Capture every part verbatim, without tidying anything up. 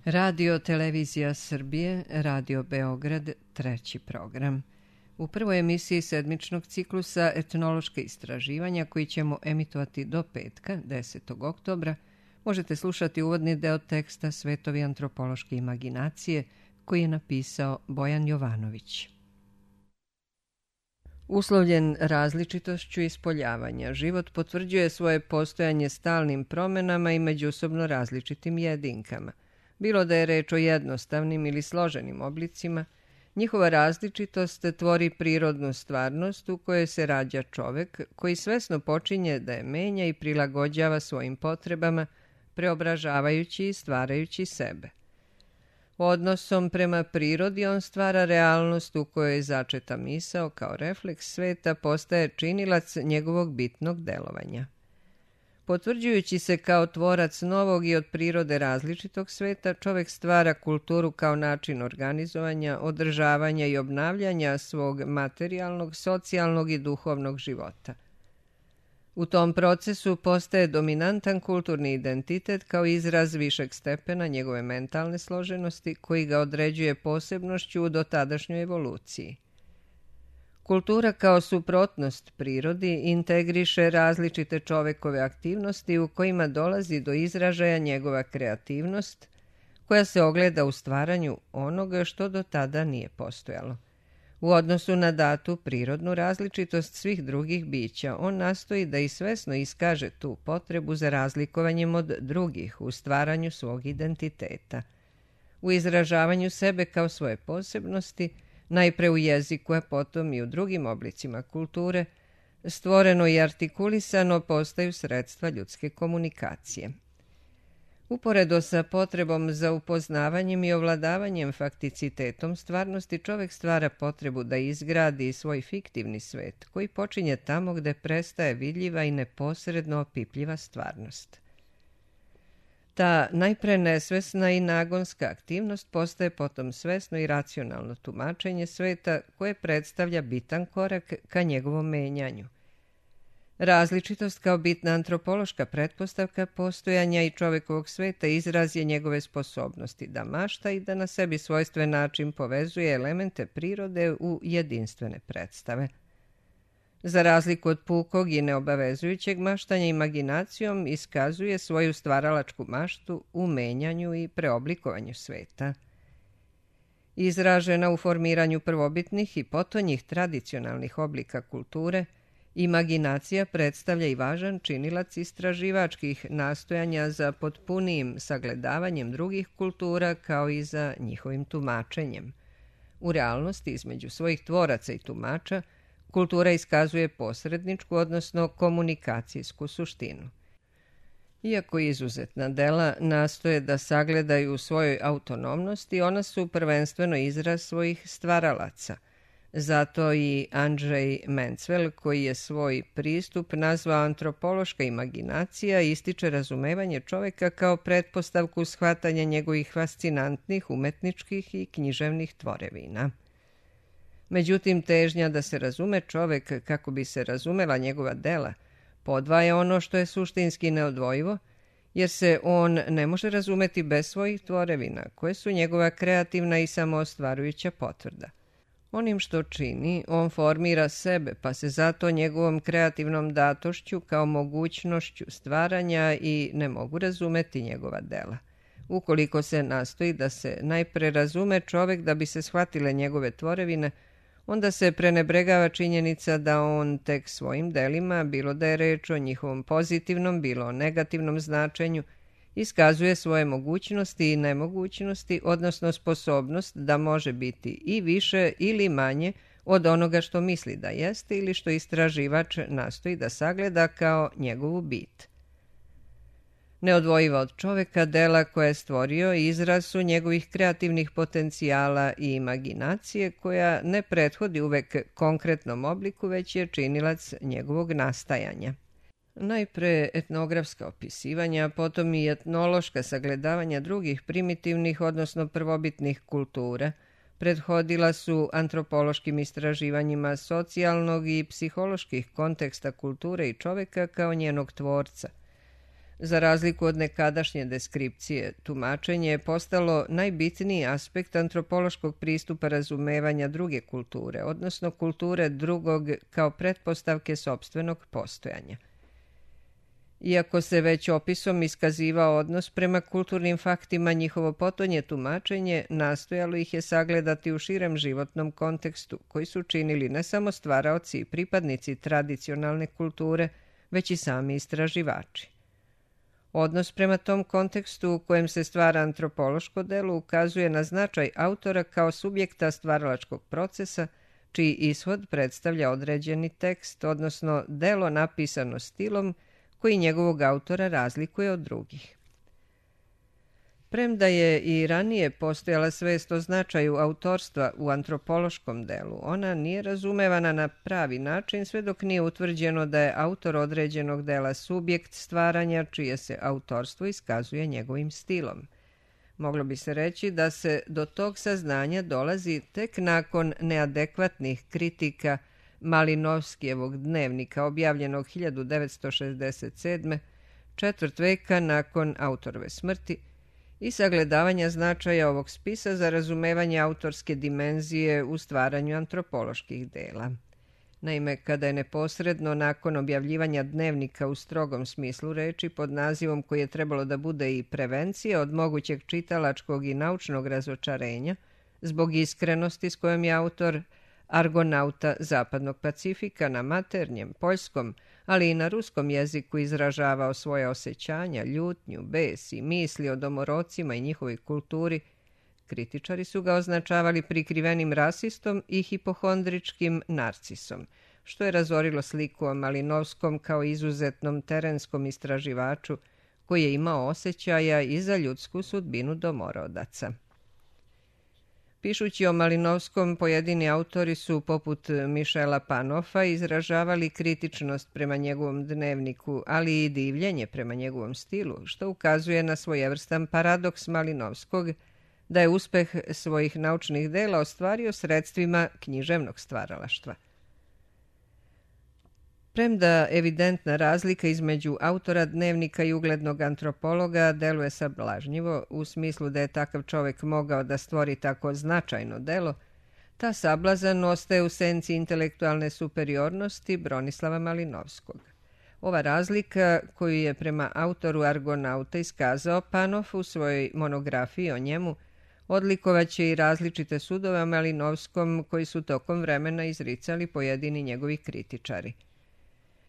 Radio Televizija Srbije, Radio Beograd, treći program. U prvoj emisiji sedmičnog ciklusa etnološke istraživanja koji ćemo emitovati do petka, desetog oktobra, možete slušati uvodni deo teksta Svetovi antropološke imaginacije koji je napisao Bojan Jovanović. Uslovljen različitošću ispoljavanja, život potvrđuje svoje postojanje stalnim promenama i međusobno različitim jedinkama. Bilo da je reč o jednostavnim ili složenim oblicima, njihova različitost tvori prirodnu stvarnost u kojoj se rađa čovek koji svesno počinje da je menja i prilagođava svojim potrebama, preobražavajući i stvarajući sebe. Odnosom prema prirodi on stvara realnost u kojoj je začeta misao kao refleks sveta postaje činilac njegovog bitnog delovanja. Potvrđujući se kao tvorac novog i od prirode različitog sveta, čovek stvara kulturu kao način organizovanja, održavanja i obnavljanja svog materijalnog, socijalnog i duhovnog života. U tom procesu postaje dominantan kulturni identitet kao izraz višeg stepena njegove mentalne složenosti koji ga određuje posebnošću u dotadašnjoj evoluciji. Kultura kao suprotnost prirodi integriše različite čovekove aktivnosti u kojima dolazi do izražaja njegova kreativnost, koja se ogleda u stvaranju onoga što do tada nije postojalo. U odnosu na datu prirodnu različitost svih drugih bića, on nastoji da i svesno iskaže tu potrebu za razlikovanjem od drugih u stvaranju svog identiteta. U izražavanju sebe kao svoje posebnosti, najpre u jeziku, a potom i u drugim oblicima kulture, stvoreno i artikulisano postaju sredstva ljudske komunikacije. Uporedo sa potrebom za upoznavanjem i ovladavanjem fakticitetom stvarnosti, čovek stvara potrebu da izgradi svoj fiktivni svet, koji počinje tamo gde prestaje vidljiva i neposredno opipljiva stvarnost. Ta najpre nesvesna i nagonska aktivnost postaje potom svesno i racionalno tumačenje sveta koje predstavlja bitan korak ka njegovom menjanju. Različitost kao bitna antropološka pretpostavka postojanja i čovekovog sveta izraz je njegove sposobnosti da mašta i da na sebi svojstven način povezuje elemente prirode u jedinstvene predstave. Za razliku od pukog i neobavezujućeg maštanja, imaginacijom iskazuje svoju stvaralačku maštu u menjanju i preoblikovanju sveta. Izražena u formiranju prvobitnih i potonjih tradicionalnih oblika kulture, imaginacija predstavlja i važan činilac istraživačkih nastojanja za potpunijim sagledavanjem drugih kultura kao i za njihovim tumačenjem. U realnosti između svojih tvoraca i tumača, kultura iskazuje posredničku, odnosno komunikacijsku suštinu. Iako izuzetna dela nastoje da sagledaju u svojoj autonomnosti, ona su prvenstveno izraz svojih stvaralaca. Zato i Andrzej Mencvel, koji je svoj pristup nazvao antropološka imaginacija, ističe razumevanje čoveka kao pretpostavku shvatanja njegovih fascinantnih umetničkih i književnih tvorevina. Međutim, težnja da se razume čovek kako bi se razumela njegova dela podvaja ono što je suštinski neodvojivo, jer se on ne može razumeti bez svojih tvorevina, koje su njegova kreativna i samoostvarujuća potvrda. Onim što čini, on formira sebe, pa se zato njegovom kreativnom datošću kao mogućnošću stvaranja i ne mogu razumeti njegova dela. Ukoliko se nastoji da se najpre razume čovek da bi se shvatile njegove tvorevine, onda se prenebregava činjenica da on tek svojim delima, bilo da je reč o njihovom pozitivnom, bilo o negativnom značenju, iskazuje svoje mogućnosti i nemogućnosti, odnosno sposobnost da može biti i više ili manje od onoga što misli da jeste ili što istraživač nastoji da sagleda kao njegovu bit. Neodvojiva od čoveka, dela koje je stvorio izraz su njegovih kreativnih potencijala i imaginacije koja ne prethodi uvek konkretnom obliku, već je činilac njegovog nastajanja. Najpre etnografska opisivanja, potom i etnološka sagledavanja drugih primitivnih, odnosno prvobitnih kultura, prethodila su antropološkim istraživanjima socijalnog i psiholoških konteksta kulture i čoveka kao njenog tvorca. Za razliku od nekadašnje deskripcije, tumačenje je postalo najbitniji aspekt antropološkog pristupa razumevanja druge kulture, odnosno kulture drugog kao pretpostavke sopstvenog postojanja. Iako se već opisom iskazivao odnos prema kulturnim faktima, njihovo potonje tumačenje nastojalo ih je sagledati u širem životnom kontekstu, koji su činili ne samo stvaraoci i pripadnici tradicionalne kulture, već i sami istraživači. Odnos prema tom kontekstu u kojem se stvara antropološko delo ukazuje na značaj autora kao subjekta stvaralačkog procesa, čiji ishod predstavlja određeni tekst, odnosno delo napisano stilom koji njegovog autora razlikuje od drugih. Premda je i ranije postojala svest o značaju autorstva u antropološkom delu, ona nije razumevana na pravi način sve dok nije utvrđeno da je autor određenog dela subjekt stvaranja čije se autorstvo iskazuje njegovim stilom. Moglo bi se reći da se do tog saznanja dolazi tek nakon neadekvatnih kritika Malinovskijevog dnevnika objavljenog hiljadu devetsto šezdeset sedme, četvrt veka nakon autorove smrti, i sagledavanja značaja ovog spisa za razumevanje autorske dimenzije u stvaranju antropoloških dela. Naime, kada je neposredno nakon objavljivanja dnevnika u strogom smislu reči pod nazivom koji je trebalo da bude i prevencija od mogućeg čitalačkog i naučnog razočarenja, zbog iskrenosti s kojom je autor Argonauta Zapadnog Pacifika na maternjem, poljskom, ali i na ruskom jeziku izražavao svoje osjećanja, ljutnju, bes i misli o domorocima i njihovoj kulturi, kritičari su ga označavali prikrivenim rasistom i hipohondričkim narcisom, što je razorilo sliku o Malinovskom kao izuzetnom terenskom istraživaču koji je imao osjećaja i za ljudsku sudbinu domorodaca. Pišući o Malinovskom, pojedini autori su, poput Mišela Panofa, izražavali kritičnost prema njegovom dnevniku, ali i divljenje prema njegovom stilu, što ukazuje na svojevrstan paradoks Malinovskog, da je uspeh svojih naučnih dela ostvario sredstvima književnog stvaralaštva. Premda evidentna razlika između autora dnevnika i uglednog antropologa deluje sablažnjivo, u smislu da je takav čovek mogao da stvori tako značajno delo, ta sablazan ostaje u senci intelektualne superiornosti Bronislava Malinovskog. Ova razlika, koju je prema autoru Argonauta iskazao Panov u svojoj monografiji o njemu, odlikovaće i različite sudove o Malinovskom koji su tokom vremena izricali pojedini njegovi kritičari.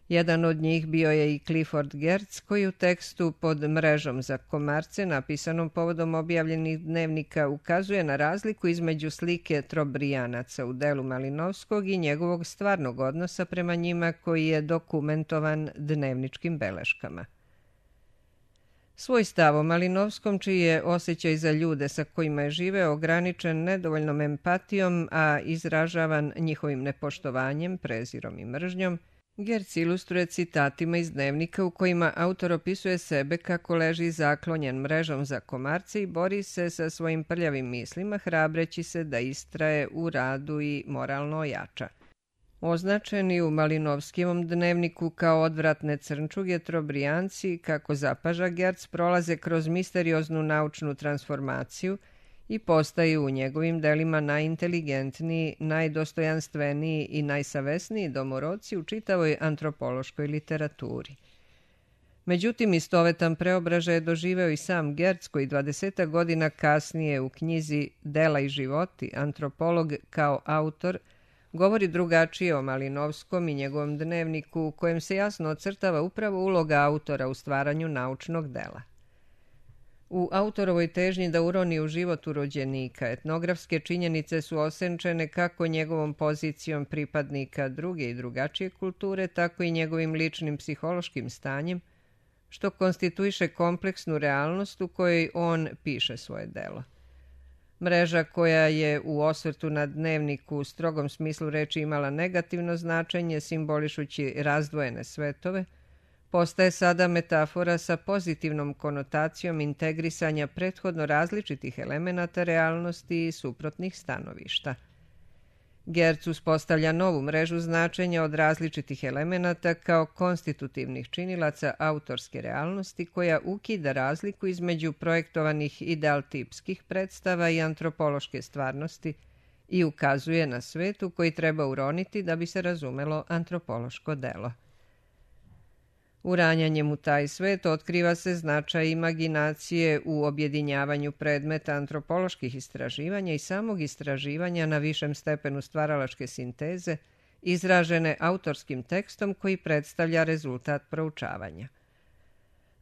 Jedan od njih bio je i Clifford Geertz, koji u tekstu pod mrežom za komarce, napisanom povodom objavljenih dnevnika, ukazuje na razliku između slike Trobrijanaca u delu Malinovskog i njegovog stvarnog odnosa prema njima koji je dokumentovan dnevničkim beleškama. Svoj stav o Malinovskom, čiji je osjećaj za ljude sa kojima je živeo ograničen nedovoljnom empatijom, a izražavan njihovim nepoštovanjem, prezirom i mržnjom, Geertz ilustruje citatima iz dnevnika u kojima autor opisuje sebe kako leži zaklonjen mrežom za komarce i bori se sa svojim prljavim mislima, hrabreći se da istraje u radu i moralno ojača. Označeni u Malinovskijevom dnevniku kao odvratne crnčuge, Trobrijanci, kako zapaža Geertz, prolaze kroz misterioznu naučnu transformaciju i postaju u njegovim delima najinteligentniji, najdostojanstveniji i najsavesniji domorodci u čitavoj antropološkoj literaturi. Međutim, istovetan preobražaj je doživeo i sam Geertz, koji dvadesetak godina kasnije u knjizi Dela i životi, antropolog kao autor, govori drugačije o Malinovskom i njegovom dnevniku, u kojem se jasno ocrtava upravo uloga autora u stvaranju naučnog dela. U autorovoj težnji da uroni u život urođenika, etnografske činjenice su osenčene kako njegovom pozicijom pripadnika druge i drugačije kulture, tako i njegovim ličnim psihološkim stanjem, što konstituiše kompleksnu realnost u kojoj on piše svoje delo. Mreža koja je u osvrtu na dnevniku u strogom smislu reči imala negativno značenje, simbolišući razdvojene svetove, postaje sada metafora sa pozitivnom konotacijom integrisanja prethodno različitih elemenata realnosti i suprotnih stanovišta. Gertz uspostavlja novu mrežu značenja od različitih elemenata kao konstitutivnih činilaca autorske realnosti koja ukida razliku između projektovanih idealtipskih predstava i antropološke stvarnosti i ukazuje na svetu koji treba uroniti da bi se razumelo antropološko delo. Uranjanjem u taj svet otkriva se značaj imaginacije u objedinjavanju predmeta antropoloških istraživanja i samog istraživanja na višem stepenu stvaralačke sinteze, izražene autorskim tekstom koji predstavlja rezultat proučavanja.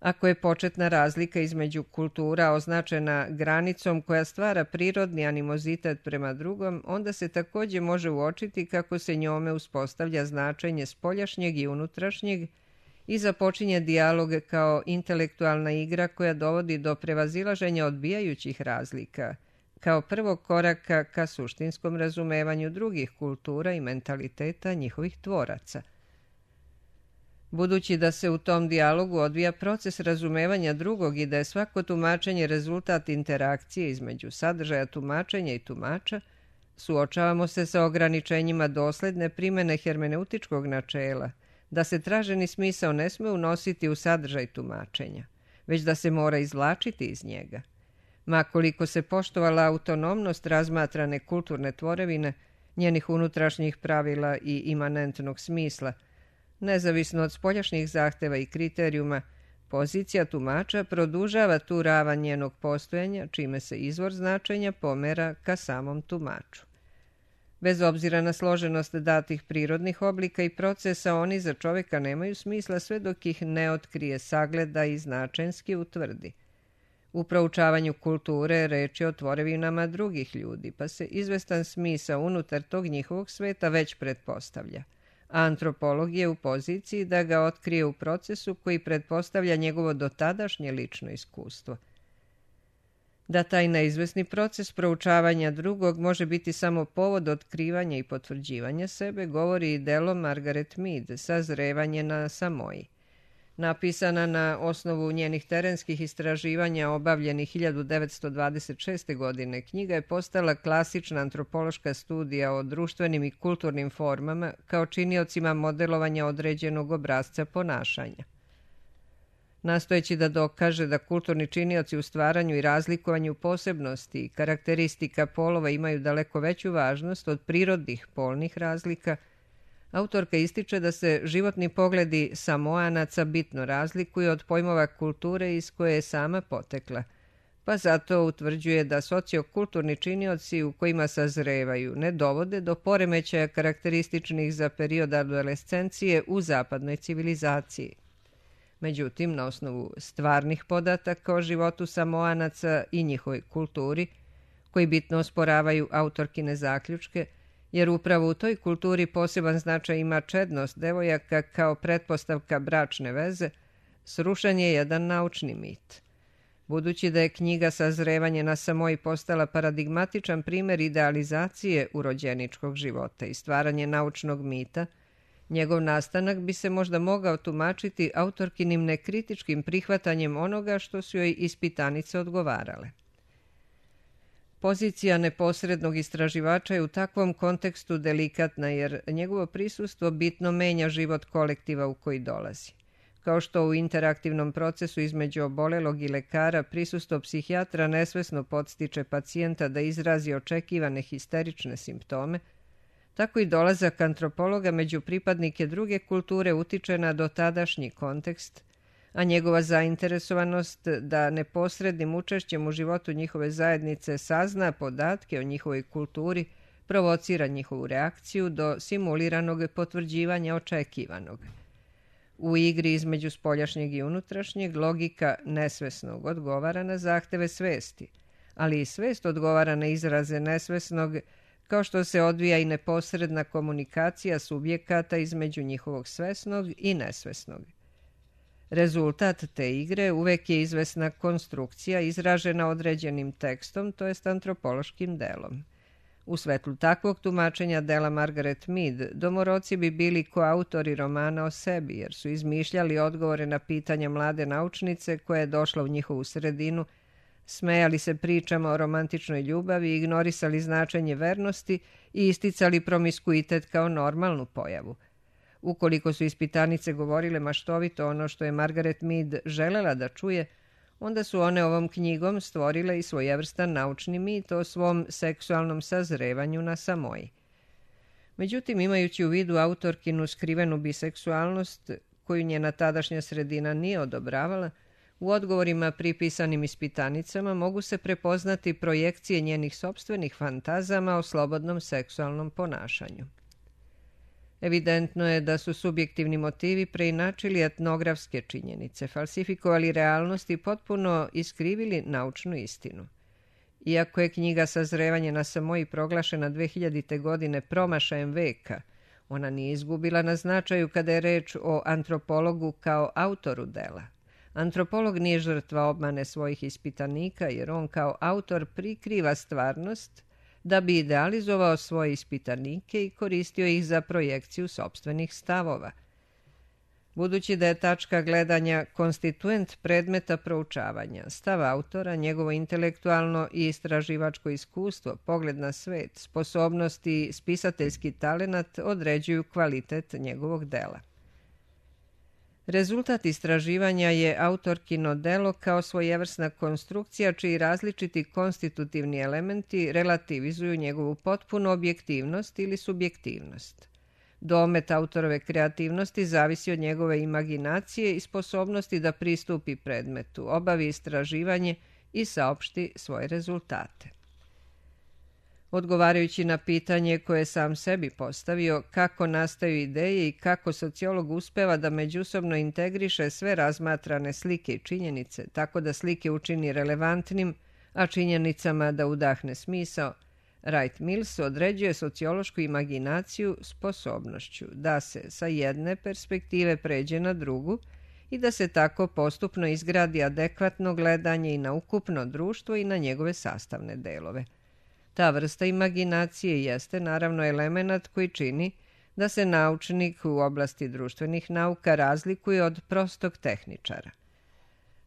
Ako je početna razlika između kultura označena granicom koja stvara prirodni animozitet prema drugom, onda se također može uočiti kako se njome uspostavlja značenje spoljašnjeg i unutrašnjeg i započinje dijalog kao intelektualna igra koja dovodi do prevazilaženja odbijajućih razlika, kao prvog koraka ka suštinskom razumevanju drugih kultura i mentaliteta njihovih tvoraca. Budući da se u tom dijalogu odvija proces razumevanja drugog i da je svako tumačenje rezultat interakcije između sadržaja tumačenja i tumača, suočavamo se sa ograničenjima dosledne primjene hermeneutičkog načela, da se traženi smisao ne sme unositi u sadržaj tumačenja, već da se mora izvlačiti iz njega. Ma koliko se poštovala autonomnost razmatrane kulturne tvorevine, njenih unutrašnjih pravila i imanentnog smisla, nezavisno od spoljašnjih zahteva i kriterijuma, pozicija tumača produžava tu ravan njenog postojanja, čime se izvor značenja pomera ka samom tumaču. Bez obzira na složenost datih prirodnih oblika i procesa, oni za čovjeka nemaju smisla sve dok ih ne otkrije, sagleda i značenski utvrdi. U proučavanju kulture reč je o tvorevinama drugih ljudi, pa se izvestan smisao unutar tog njihovog sveta već pretpostavlja. A antropolog je u poziciji da ga otkrije u procesu koji pretpostavlja njegovo dotadašnje lično iskustvo. Da taj neizvesni proces proučavanja drugog može biti samo povod otkrivanja i potvrđivanja sebe, govori i delo Margaret Mead, Sazrevanje na Samoji. Napisana na osnovu njenih terenskih istraživanja obavljenih hiljadu devetsto dvadeset šeste. godine, knjiga je postala klasična antropološka studija o društvenim i kulturnim formama kao činiocima modelovanja određenog obrasca ponašanja. Nastojeći da dokaže da kulturni činioci u stvaranju i razlikovanju posebnosti i karakteristika polova imaju daleko veću važnost od prirodnih polnih razlika, autorka ističe da se životni pogledi Samoanaca bitno razlikuju od pojmova kulture iz koje je sama potekla, pa zato utvrđuje da sociokulturni činioci u kojima sazrevaju ne dovode do poremećaja karakterističnih za period adolescencije u zapadnoj civilizaciji. Međutim, na osnovu stvarnih podataka o životu Samoanaca i njihovoj kulturi, koji bitno osporavaju autorkine zaključke, jer upravo u toj kulturi poseban značaj ima čednost devojaka kao pretpostavka bračne veze, srušen je jedan naučni mit. Budući da je knjiga Sazrevanje na Samoji postala paradigmatičan primjer idealizacije urođeničkog života i stvaranje naučnog mita, njegov nastanak bi se možda mogao tumačiti autorkinim nekritičkim prihvatanjem onoga što su joj ispitanice odgovarale. Pozicija neposrednog istraživača je u takvom kontekstu delikatna jer njegovo prisustvo bitno menja život kolektiva u koji dolazi. Kao što u interaktivnom procesu između obolelog i lekara prisustvo psihijatra nesvesno podstiče pacijenta da izrazi očekivane histerične simptome, tako i dolazak antropologa među pripadnike druge kulture utiče na dotadašnji kontekst, a njegova zainteresovanost da neposrednim učešćem u životu njihove zajednice sazna podatke o njihovoj kulturi provocira njihovu reakciju do simuliranog potvrđivanja očekivanog. U igri između spoljašnjeg i unutrašnjeg logika nesvesnog odgovara na zahteve svesti, ali i svest odgovara na izraze nesvesnog, kao što se odvija i neposredna komunikacija subjekata između njihovog svesnog i nesvesnog. Rezultat te igre uvek je izvesna konstrukcija izražena određenim tekstom, to jest antropološkim delom. U svetlu takvog tumačenja dela Margaret Mead, domoroci bi bili koautori romana o sebi, jer su izmišljali odgovore na pitanja mlade naučnice koja je došla u njihovu sredinu, Smejali se pričama o romantičnoj ljubavi, ignorisali značenje vernosti i isticali promiskuitet kao normalnu pojavu. Ukoliko su ispitanice govorile maštovito ono što je Margaret Mead želela da čuje, onda su one ovom knjigom stvorile i svojevrstan naučni mit o svom seksualnom sazrevanju na Samoji. Međutim, imajući u vidu autorkinu skrivenu biseksualnost, koju njena tadašnja sredina nije odobravala, u odgovorima pripisanim ispitanicama mogu se prepoznati projekcije njenih sopstvenih fantazama o slobodnom seksualnom ponašanju. Evidentno je da su subjektivni motivi preinačili etnografske činjenice, falsifikovali realnost i potpuno iskrivili naučnu istinu. Iako je knjiga Sazrevanje na Samoji proglašena dve hiljadite. godine promašajem veka, ona nije izgubila na značaju kada je reč o antropologu kao autoru dela. Antropolog nije žrtva obmane svojih ispitanika, jer on kao autor prikriva stvarnost da bi idealizovao svoje ispitanike i koristio ih za projekciju sopstvenih stavova. Budući da je tačka gledanja konstituent predmeta proučavanja, stav autora, njegovo intelektualno i istraživačko iskustvo, pogled na svet, sposobnost i spisateljski talenat određuju kvalitet njegovog dela. Rezultat istraživanja je autorkino delo kao svojevrsna konstrukcija čiji različiti konstitutivni elementi relativizuju njegovu potpunu objektivnost ili subjektivnost. Domet autorove kreativnosti zavisi od njegove imaginacije i sposobnosti da pristupi predmetu, obavi istraživanje i saopšti svoje rezultate. Odgovarajući na pitanje koje je sam sebi postavio kako nastaju ideje i kako sociolog uspeva da međusobno integriše sve razmatrane slike i činjenice, tako da slike učini relevantnim, a činjenicama da udahne smisao, Wright Mills određuje sociološku imaginaciju sposobnošću da se sa jedne perspektive pređe na drugu i da se tako postupno izgradi adekvatno gledanje i na ukupno društvo i na njegove sastavne delove. Ta vrsta imaginacije jeste naravno elemenat koji čini da se naučnik u oblasti društvenih nauka razlikuje od prostog tehničara.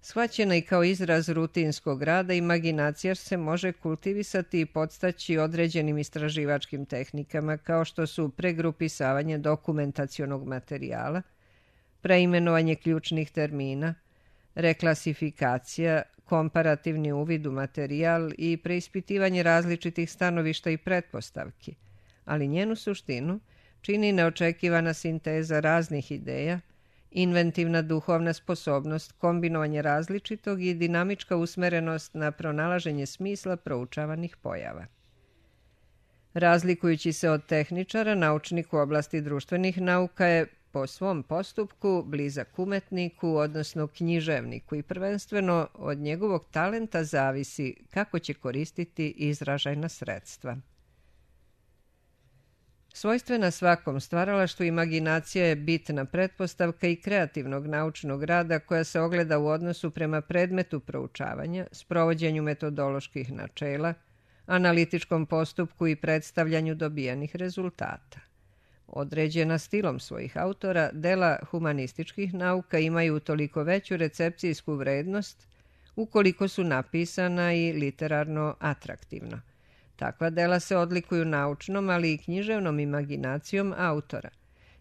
Shvaćena i kao izraz rutinskog rada, imaginacija se može kultivisati i podstaći određenim istraživačkim tehnikama kao što su pregrupisavanje dokumentacionog materijala, preimenovanje ključnih termina, reklasifikacija, komparativni uvid u materijal i preispitivanje različitih stanovišta i pretpostavki, ali njenu suštinu čini neočekivana sinteza raznih ideja, inventivna duhovna sposobnost, kombinovanje različitog i dinamička usmerenost na pronalaženje smisla proučavanih pojava. Razlikujući se od tehničara, naučnik u oblasti društvenih nauka je po svom postupku blizak umetniku, odnosno književniku, i prvenstveno od njegovog talenta zavisi kako će koristiti izražajna sredstva. Svojstvena svakom stvaralaštvu, imaginacija je bitna pretpostavka i kreativnog naučnog rada koja se ogleda u odnosu prema predmetu proučavanja, sprovođenju metodoloških načela, analitičkom postupku i predstavljanju dobijenih rezultata. Određena stilom svojih autora, dela humanističkih nauka imaju toliko veću recepcijsku vrednost ukoliko su napisana i literarno atraktivno. Takva dela se odlikuju naučnom, ali i književnom imaginacijom autora.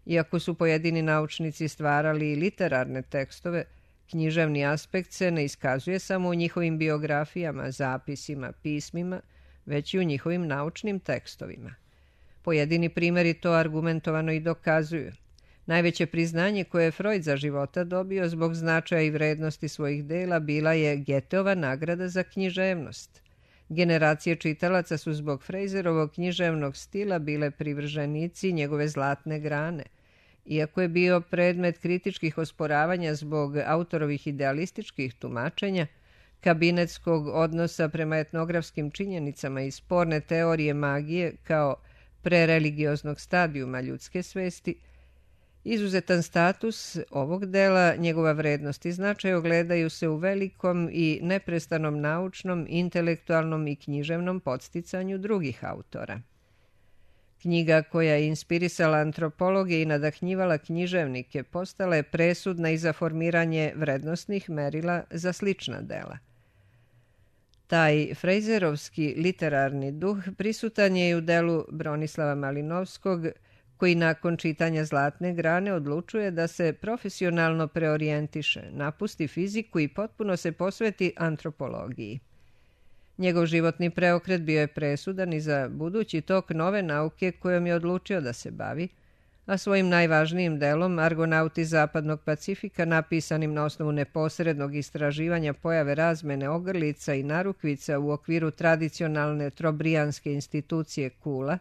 Iako su pojedini naučnici stvarali i literarne tekstove, književni aspekt se ne iskazuje samo u njihovim biografijama, zapisima, pismima, već i u njihovim naučnim tekstovima. Pojedini primjeri to argumentovano i dokazuju. Najveće priznanje koje je Freud za života dobio zbog značaja i vrednosti svojih dela bila je Goetheova nagrada za književnost. Generacije čitalaca su zbog Fraserovog književnog stila bile privrženici njegove zlatne grane. Iako je bio predmet kritičkih osporavanja zbog autorovih idealističkih tumačenja, kabinetskog odnosa prema etnografskim činjenicama i sporne teorije magije kao prereligioznog stadijuma ljudske svesti, izuzetan status ovog dela, njegova vrednost i značaj ogledaju se u velikom i neprestanom naučnom, intelektualnom i književnom podsticanju drugih autora. Knjiga koja je inspirisala antropologe i nadahnjivala književnike postala je presudna i za formiranje vrednostnih merila za slična dela. Taj frejzerovski literarni duh prisutan je i u delu Bronislava Malinovskog, koji nakon čitanja Zlatne grane odlučuje da se profesionalno preorijentiše, napusti fiziku i potpuno se posveti antropologiji. Njegov životni preokret bio je presudan i za budući tok nove nauke kojom je odlučio da se bavi, a svojim najvažnijim delom Argonauti Zapadnog Pacifika, napisanim na osnovu neposrednog istraživanja pojave razmene ogrlica i narukvica u okviru tradicionalne trobrijanske institucije Kula,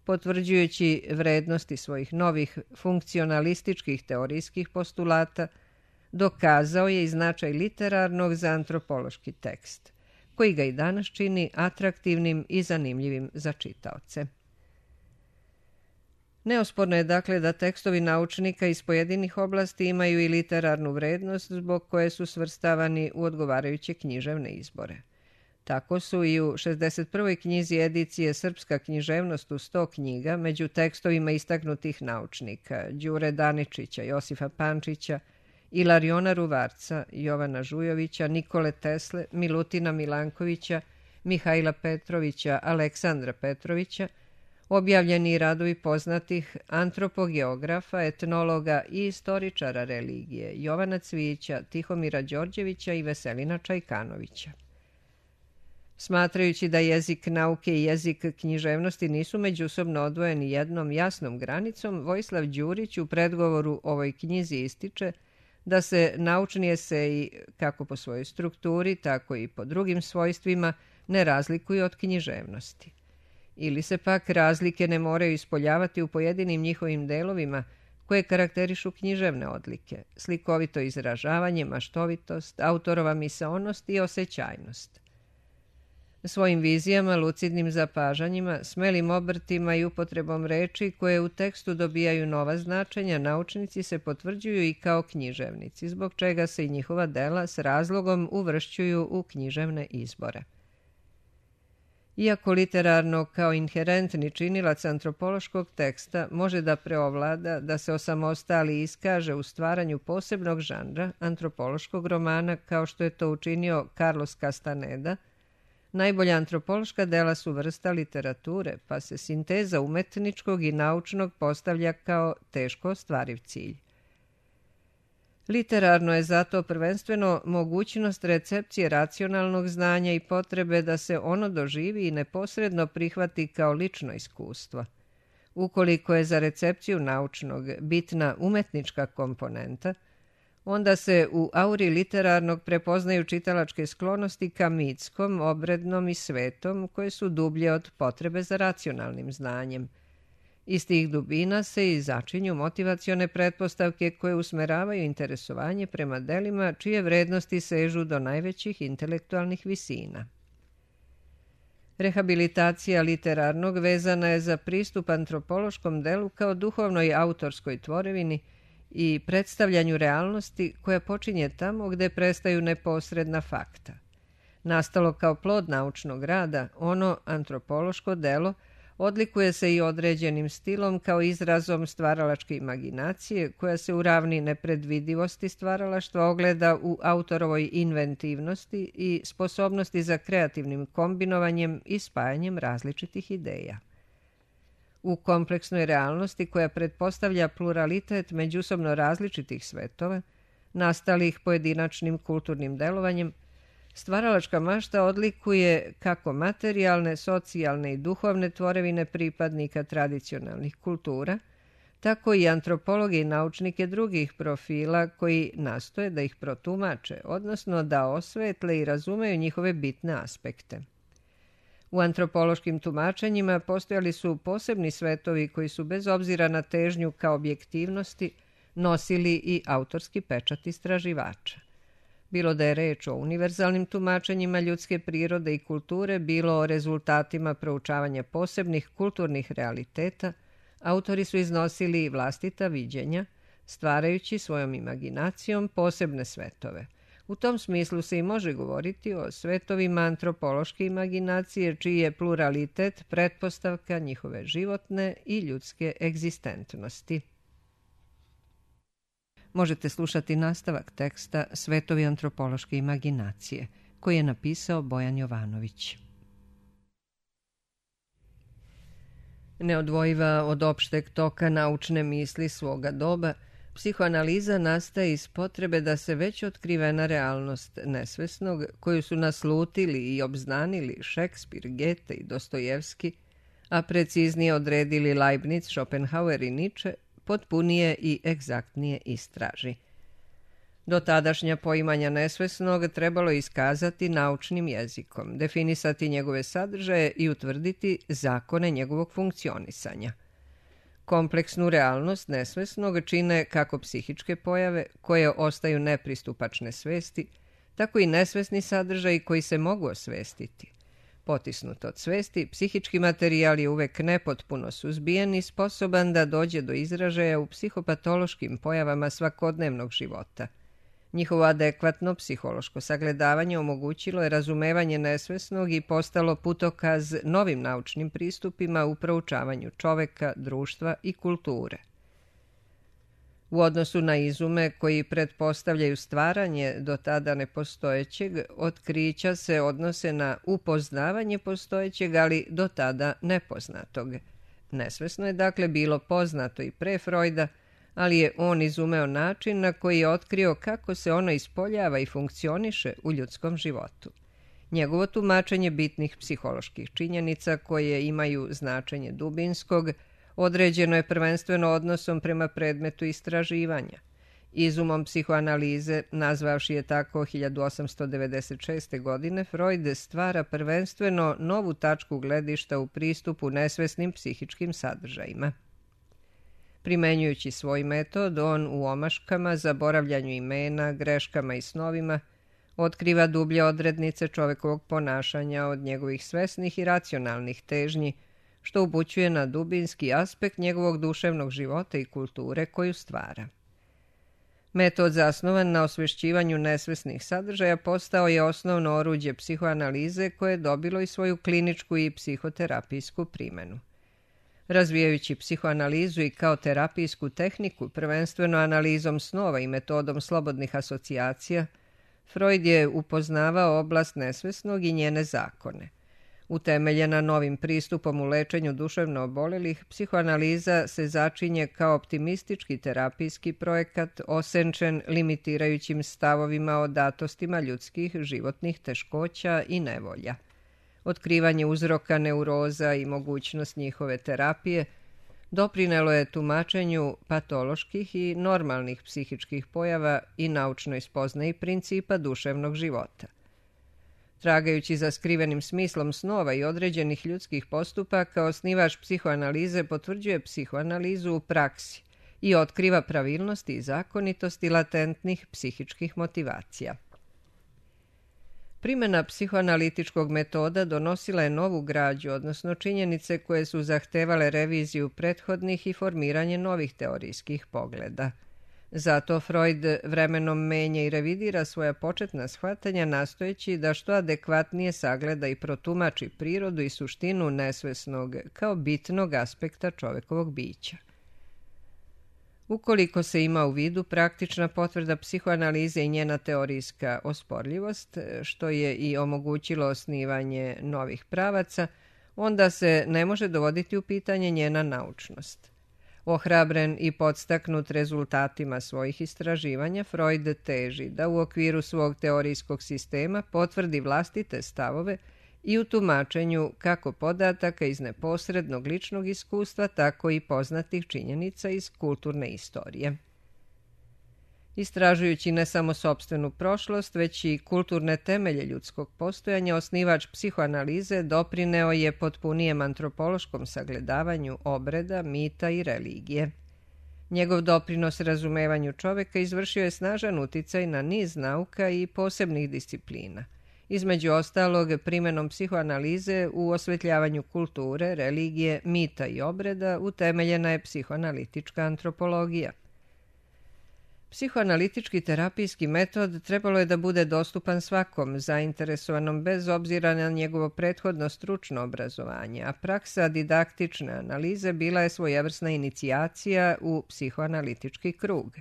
potvrđujući vrednosti svojih novih funkcionalističkih teorijskih postulata, dokazao je i značaj literarnog za antropološki tekst, koji ga i danas čini atraktivnim i zanimljivim za čitaoce. Neosporno je dakle da tekstovi naučnika iz pojedinih oblasti imaju i literarnu vrednost zbog koje su svrstavani u odgovarajuće književne izbore. Tako su i u šezdeset prvoj knjizi edicije Srpska književnost u sto knjiga među tekstovima istaknutih naučnika Đure Daničića, Josifa Pančića, Ilariona Ruvarca, Jovana Žujovića, Nikole Tesle, Milutina Milankovića, Mihajla Petrovića, Aleksandra Petrovića, objavljeni radovi poznatih antropogeografa, etnologa i istoričara religije Jovana Cvijića, Tihomira Đorđevića i Veselina Čajkanovića. Smatrajući da jezik nauke i jezik književnosti nisu međusobno odvojeni jednom jasnom granicom, Vojislav Đurić u predgovoru ovoj knjizi ističe da se naučni eseji, kako po svojoj strukturi, tako i po drugim svojstvima, ne razlikuju od književnosti. Ili se pak razlike ne moraju ispoljavati u pojedinim njihovim delovima koje karakterišu književne odlike, slikovito izražavanje, maštovitost, autorova misaonost i osjećajnost. Svojim vizijama, lucidnim zapažanjima, smelim obrtima i upotrebom reči koje u tekstu dobijaju nova značenja, naučnici se potvrđuju i kao književnici, zbog čega se i njihova dela s razlogom uvršćuju u književne izbore. Iako literarno kao inherentni činilac antropološkog teksta može da preovlada, da se osamostali i iskaže u stvaranju posebnog žanra, antropološkog romana, kao što je to učinio Carlos Castaneda, najbolja antropološka dela su vrsta literature, pa se sinteza umetničkog i naučnog postavlja kao teško ostvariv cilj. Literarno je zato prvenstveno mogućnost recepcije racionalnog znanja i potrebe da se ono doživi i neposredno prihvati kao lično iskustvo. Ukoliko je za recepciju naučnog bitna umetnička komponenta, onda se u auri literarnog prepoznaju čitalačke sklonosti ka mitskom, obrednom i svetom, koje su dublje od potrebe za racionalnim znanjem. Iz tih dubina se i začinju motivacione pretpostavke koje usmeravaju interesovanje prema delima čije vrednosti sežu do najvećih intelektualnih visina. Rehabilitacija literarnog vezana je za pristup antropološkom delu kao duhovnoj autorskoj tvorevini i predstavljanju realnosti koja počinje tamo gde prestaju neposredna fakta. Nastalo kao plod naučnog rada, ono antropološko delo odlikuje se i određenim stilom kao izrazom stvaralačke imaginacije koja se u ravni nepredvidivosti stvaralaštva ogleda u autorovoj inventivnosti i sposobnosti za kreativnim kombinovanjem i spajanjem različitih ideja. U kompleksnoj realnosti koja pretpostavlja pluralitet međusobno različitih svetova, nastalih pojedinačnim kulturnim delovanjem, stvaralačka mašta odlikuje kako materijalne, socijalne i duhovne tvorevine pripadnika tradicionalnih kultura, tako i antropologe i naučnike drugih profila koji nastoje da ih protumače, odnosno da osvetle i razumeju njihove bitne aspekte. U antropološkim tumačenjima postojali su posebni svetovi koji su bez obzira na težnju ka objektivnosti nosili i autorski pečat istraživača. Bilo da je reč o univerzalnim tumačenjima ljudske prirode i kulture, bilo o rezultatima proučavanja posebnih kulturnih realiteta, autori su iznosili vlastita viđenja, stvarajući svojom imaginacijom posebne svetove. U tom smislu se i može govoriti o svetovima antropološke imaginacije, čiji je pluralitet pretpostavka njihove životne i ljudske egzistentnosti. Možete slušati nastavak teksta Svetovi antropološke imaginacije, koji je napisao Bojan Jovanović. Neodvojiva od opšteg toka naučne misli svoga doba, psihoanaliza nastaje iz potrebe da se već otkrivena realnost nesvesnog, koju su naslutili i obznanili Šekspir, Gete i Dostojevski, a preciznije odredili Leibniz, Schopenhauer i Nietzsche, potpunije i egzaktnije istraži. Do tadašnja poimanja nesvesnog trebalo je iskazati naučnim jezikom, definisati njegove sadržaje i utvrditi zakone njegovog funkcionisanja. Kompleksnu realnost nesvesnog čine kako psihičke pojave koje ostaju nepristupačne svesti, tako i nesvesni sadržaji koji se mogu osvestiti. Potisnut od svesti, psihički materijal je uvek nepotpuno suzbijen i sposoban da dođe do izražaja u psihopatološkim pojavama svakodnevnog života. Njihovo adekvatno psihološko sagledavanje omogućilo je razumevanje nesvesnog i postalo putokaz novim naučnim pristupima u proučavanju čoveka, društva i kulture. U odnosu na izume koji pretpostavljaju stvaranje do tada nepostojećeg, otkrića se odnose na upoznavanje postojećeg, ali do tada nepoznatog. Nesvesno je dakle bilo poznato i pre Freuda, ali je on izumeo način na koji je otkrio kako se ono ispoljava i funkcioniše u ljudskom životu. Njegovo tumačenje bitnih psiholoških činjenica koje imaju značenje dubinskog određeno je prvenstveno odnosom prema predmetu istraživanja. Izumom psihoanalize, nazvavši je tako hiljadu osamsto devedeset šeste. godine, Freud stvara prvenstveno novu tačku gledišta u pristupu nesvesnim psihičkim sadržajima. Primenjujući svoj metod, on u omaškama, zaboravljanju imena, greškama i snovima otkriva dublje odrednice čovekovog ponašanja od njegovih svesnih i racionalnih težnji, što upućuje na dubinski aspekt njegovog duševnog života i kulture koju stvara. Metod zasnovan na osvešćivanju nesvesnih sadržaja postao je osnovno oruđe psihoanalize koje je dobilo i svoju kliničku i psihoterapijsku primenu. Razvijajući psihoanalizu i kao terapijsku tehniku, prvenstveno analizom snova i metodom slobodnih asocijacija, Freud je upoznavao oblast nesvesnog i njene zakone. Utemeljena novim pristupom u lečenju duševno obolelih, psihoanaliza se začinje kao optimistički terapijski projekat osenčen limitirajućim stavovima o datostima ljudskih životnih teškoća i nevolja. Otkrivanje uzroka neuroza i mogućnost njihove terapije doprinelo je tumačenju patoloških i normalnih psihičkih pojava i naučnoj spoznaji principa duševnog života. Tragajući za skrivenim smislom snova i određenih ljudskih postupaka, osnivač psihoanalize potvrđuje psihoanalizu u praksi i otkriva pravilnosti i zakonitosti latentnih psihičkih motivacija. Primjena psihoanalitičkog metoda donosila je novu građu, odnosno činjenice koje su zahtevale reviziju prethodnih i formiranje novih teorijskih pogleda. Zato Freud vremenom menja i revidira svoja početna shvatanja nastojeći da što adekvatnije sagleda i protumači prirodu i suštinu nesvesnog kao bitnog aspekta čovekovog bića. Ukoliko se ima u vidu praktična potvrda psihoanalize i njena teorijska osporljivost, što je i omogućilo osnivanje novih pravaca, onda se ne može dovoditi u pitanje njena naučnost. Ohrabren i podstaknut rezultatima svojih istraživanja, Freud teži da u okviru svog teorijskog sistema potvrdi vlastite stavove i u tumačenju kako podataka iz neposrednog ličnog iskustva, tako i poznatih činjenica iz kulturne istorije. Istražujući ne samo sopstvenu prošlost, već i kulturne temelje ljudskog postojanja, osnivač psihoanalize doprineo je potpunijem antropološkom sagledavanju obreda, mita i religije. Njegov doprinos razumevanju čoveka izvršio je snažan uticaj na niz nauka i posebnih disciplina. Između ostalog, primenom psihoanalize u osvetljavanju kulture, religije, mita i obreda utemeljena je psihoanalitička antropologija. Psihoanalitički terapijski metod trebalo je da bude dostupan svakom zainteresovanom bez obzira na njegovo prethodno stručno obrazovanje, a praksa didaktične analize bila je svojevrsna inicijacija u psihoanalitički krug.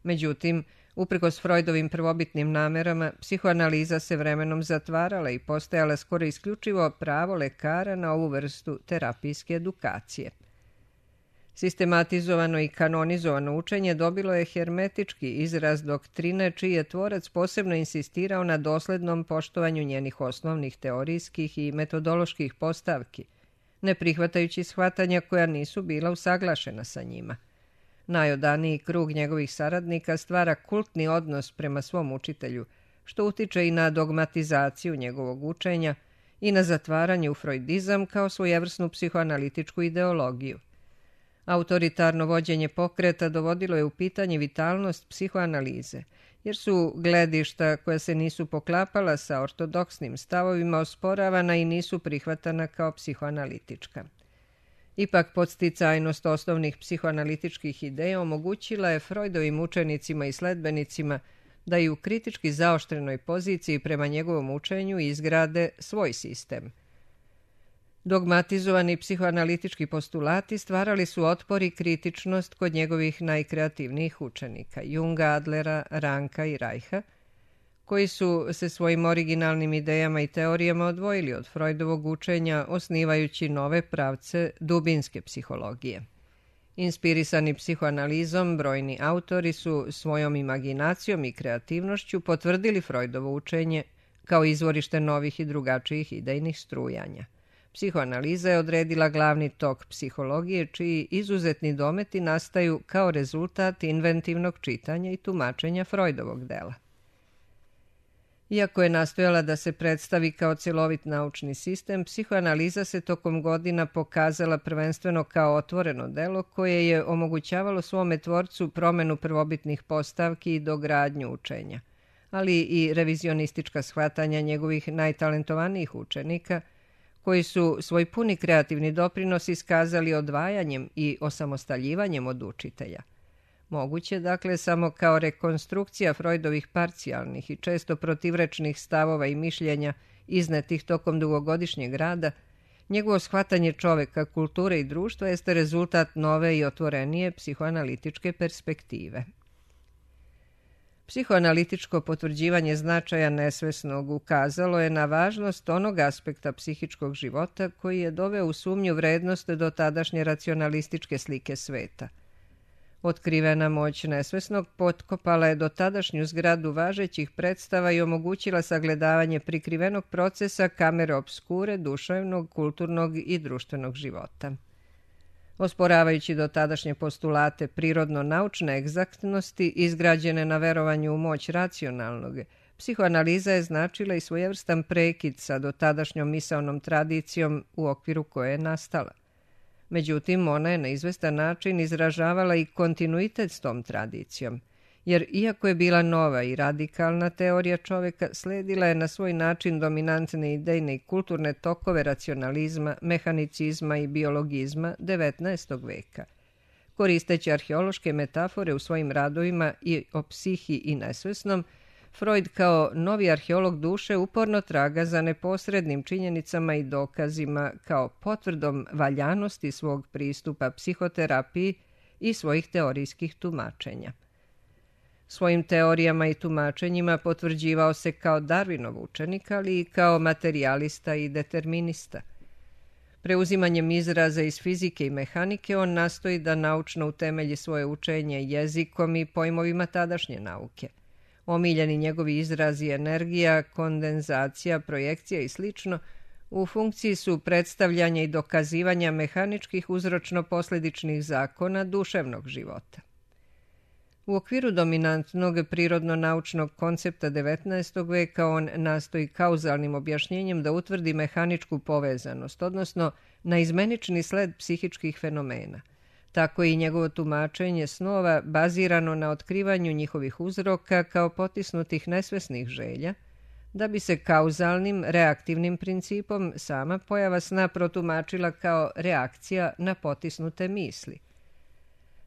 Međutim, Uprkos Freudovim prvobitnim namerama, psihoanaliza se vremenom zatvarala i postajala skoro isključivo pravo lekara na ovu vrstu terapijske edukacije. Sistematizovano i kanonizovano učenje dobilo je hermetički izraz doktrine čiji je tvorac posebno insistirao na doslednom poštovanju njenih osnovnih teorijskih i metodoloških postavki, ne prihvatajući shvatanja koja nisu bila usaglašena sa njima. Najodaniji krug njegovih saradnika stvara kultni odnos prema svom učitelju, što utiče i na dogmatizaciju njegovog učenja i na zatvaranje u freudizam kao svojevrsnu psihoanalitičku ideologiju. Autoritarno vođenje pokreta dovodilo je u pitanje vitalnost psihoanalize, jer su gledišta koja se nisu poklapala sa ortodoksnim stavovima osporavana i nisu prihvatana kao psihoanalitička. Ipak podsticajnost osnovnih psihoanalitičkih ideja omogućila je Freudovim učenicima i sledbenicima da i u kritički zaoštrenoj poziciji prema njegovom učenju izgrade svoj sistem. Dogmatizovani psihoanalitički postulati stvarali su otpor i kritičnost kod njegovih najkreativnijih učenika, Junga, Adlera, Ranka i Reicha, koji su se svojim originalnim idejama i teorijama odvojili od Freudovog učenja, osnivajući nove pravce dubinske psihologije. Inspirisani psihoanalizom, brojni autori su svojom imaginacijom i kreativnošću potvrdili Freudovo učenje kao izvorište novih i drugačijih idejnih strujanja. Psihoanaliza je odredila glavni tok psihologije, čiji izuzetni dometi nastaju kao rezultat inventivnog čitanja i tumačenja Freudovog dela. Iako je nastojala da se predstavi kao cjelovit naučni sistem, psihoanaliza se tokom godina pokazala prvenstveno kao otvoreno delo koje je omogućavalo svome tvorcu promenu prvobitnih postavki i dogradnju učenja, ali i revizionistička shvatanja njegovih najtalentovanijih učenika, koji su svoj puni kreativni doprinos iskazali odvajanjem i osamostaljivanjem od učitelja. Moguće, dakle, samo kao rekonstrukcija Freudovih parcijalnih i često protivrečnih stavova i mišljenja iznetih tokom dugogodišnjeg rada, njegovo shvatanje čoveka, kulture i društva jeste rezultat nove i otvorenije psihoanalitičke perspektive. Psihoanalitičko potvrđivanje značaja nesvesnog ukazalo je na važnost onog aspekta psihičkog života koji je doveo u sumnju vrednost do tadašnje racionalističke slike sveta. Otkrivena moć nesvesnog potkopala je do tadašnju zgradu važećih predstava i omogućila sagledavanje prikrivenog procesa kamere obskure duševnog, kulturnog i društvenog života. Osporavajući do tadašnje postulate prirodno-naučne egzaktnosti izgrađene na verovanju u moć racionalnog, psihoanaliza je značila i svojevrstan prekid sa dotadašnjom misaonom tradicijom u okviru koje je nastala. Međutim, ona je na izvestan način izražavala i kontinuitet s tom tradicijom, jer iako je bila nova i radikalna teorija čoveka, sledila je na svoj način dominantne idejne i kulturne tokove racionalizma, mehanicizma i biologizma devetnaestog veka. Koristeći arheološke metafore u svojim radovima i o psihi i nesvesnom, Freud kao novi arheolog duše uporno traga za neposrednim činjenicama i dokazima kao potvrdom valjanosti svog pristupa psihoterapiji i svojih teorijskih tumačenja. Svojim teorijama i tumačenjima potvrđivao se kao Darwinov učenik, ali i kao materijalista i determinista. Preuzimanjem izraza iz fizike i mehanike on nastoji da naučno utemelji svoje učenje jezikom i pojmovima tadašnje nauke. Omiljeni njegovi izrazi energija, kondenzacija, projekcija i slično u funkciji su predstavljanja i dokazivanja mehaničkih uzročno-posljedičnih zakona duševnog života. U okviru dominantnog prirodno-naučnog koncepta devetnaestog veka on nastoji kauzalnim objašnjenjem da utvrdi mehaničku povezanost, odnosno naizmenični sled psihičkih fenomena. Tako i njegovo tumačenje snova bazirano na otkrivanju njihovih uzroka kao potisnutih nesvesnih želja, da bi se kauzalnim, reaktivnim principom sama pojava sna protumačila kao reakcija na potisnute misli.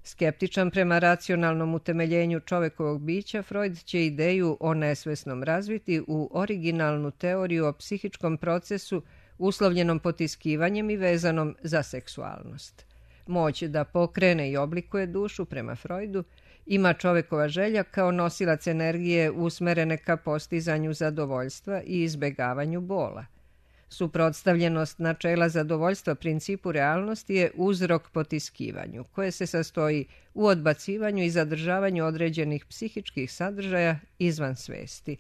Skeptičan prema racionalnom utemeljenju čovekovog bića, Freud će ideju o nesvesnom razviti u originalnu teoriju o psihičkom procesu uslovljenom potiskivanjem i vezanom za seksualnost. Moć da pokrene i oblikuje dušu prema Freudu ima čovekova želja kao nosilac energije usmerene ka postizanju zadovoljstva i izbegavanju bola. Suprotstavljenost načela zadovoljstva principu realnosti je uzrok potiskivanju, koje se sastoji u odbacivanju i zadržavanju određenih psihičkih sadržaja izvan svesti.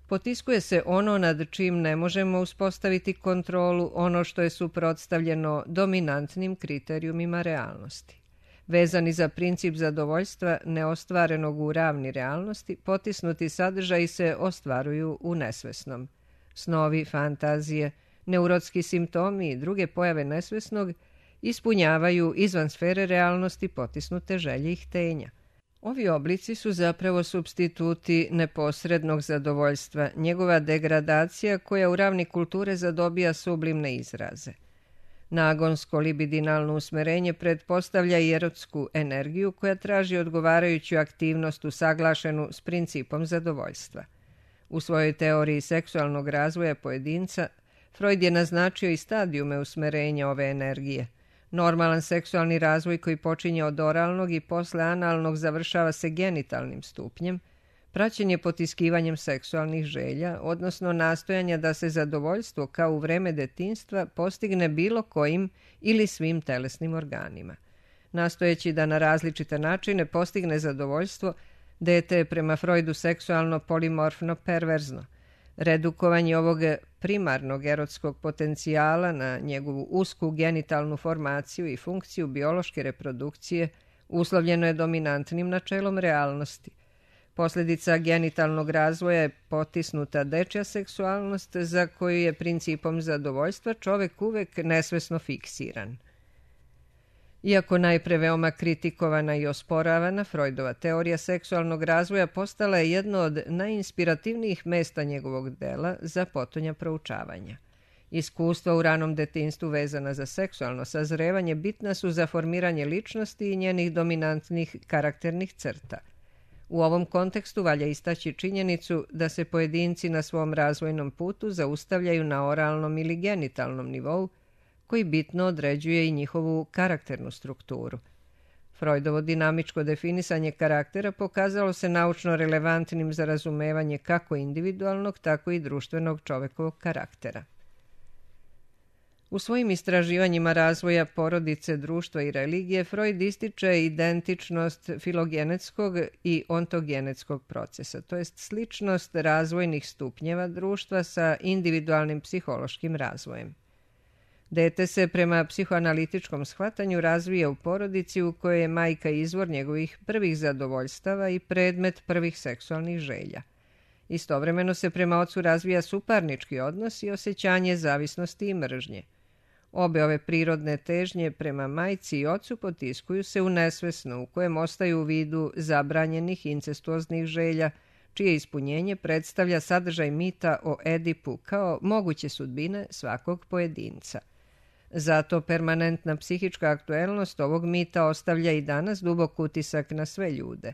Potiskuje se ono nad čim ne možemo uspostaviti kontrolu, ono što je suprotstavljeno dominantnim kriterijumima realnosti. Vezani za princip zadovoljstva neostvarenog u ravni realnosti, potisnuti sadržaji se ostvaruju u nesvesnom. Snovi, fantazije, neurotski simptomi i druge pojave nesvesnog ispunjavaju izvan sfere realnosti potisnute želje i htenja. Ovi oblici su zapravo supstituti neposrednog zadovoljstva, njegova degradacija koja u ravni kulture zadobija sublimne izraze. Nagonsko libidinalno usmerenje pretpostavlja i erotsku energiju koja traži odgovarajuću aktivnost usaglašenu s principom zadovoljstva. U svojoj teoriji seksualnog razvoja pojedinca, Freud je naznačio i stadijume usmerenja ove energije. Normalan seksualni razvoj koji počinje od oralnog i posle analnog završava se genitalnim stupnjem, praćen je potiskivanjem seksualnih želja, odnosno nastojanja da se zadovoljstvo kao u vreme detinjstva postigne bilo kojim ili svim telesnim organima. Nastojeći da na različite načine postigne zadovoljstvo, dete je prema Freudu seksualno polimorfno perverzno. Redukovanje ovog primarnog erotskog potencijala na njegovu usku genitalnu formaciju i funkciju biološke reprodukcije uslovljeno je dominantnim načelom realnosti. Posljedica genitalnog razvoja je potisnuta dečja seksualnost za koju je principom zadovoljstva čovek uvek nesvesno fiksiran. Iako najpre veoma kritikovana i osporavana, Freudova teorija seksualnog razvoja postala je jedno od najinspirativnijih mesta njegovog dela za potonja proučavanja. Iskustva u ranom detinjstvu vezana za seksualno sazrevanje bitna su za formiranje ličnosti i njenih dominantnih karakternih crta. U ovom kontekstu valja istaći činjenicu da se pojedinci na svom razvojnom putu zaustavljaju na oralnom ili genitalnom nivou, koji bitno određuje i njihovu karakternu strukturu. Freudovo dinamičko definisanje karaktera pokazalo se naučno relevantnim za razumevanje kako individualnog, tako i društvenog čovekovog karaktera. U svojim istraživanjima razvoja porodice, društva i religije, Freud ističe identičnost filogenetskog i ontogenetskog procesa, to jest sličnost razvojnih stupnjeva društva sa individualnim psihološkim razvojem. Dete se prema psihoanalitičkom shvatanju razvija u porodici u kojoj je majka izvor njegovih prvih zadovoljstava i predmet prvih seksualnih želja. Istovremeno se prema ocu razvija suparnički odnos i osjećanje zavisnosti i mržnje. Obe ove prirodne težnje prema majci i ocu potiskuju se u nesvesno, u kojem ostaju u vidu zabranjenih incestuoznih želja, čije ispunjenje predstavlja sadržaj mita o Edipu kao moguće sudbine svakog pojedinca. Zato permanentna psihička aktuelnost ovog mita ostavlja i danas dubok utisak na sve ljude.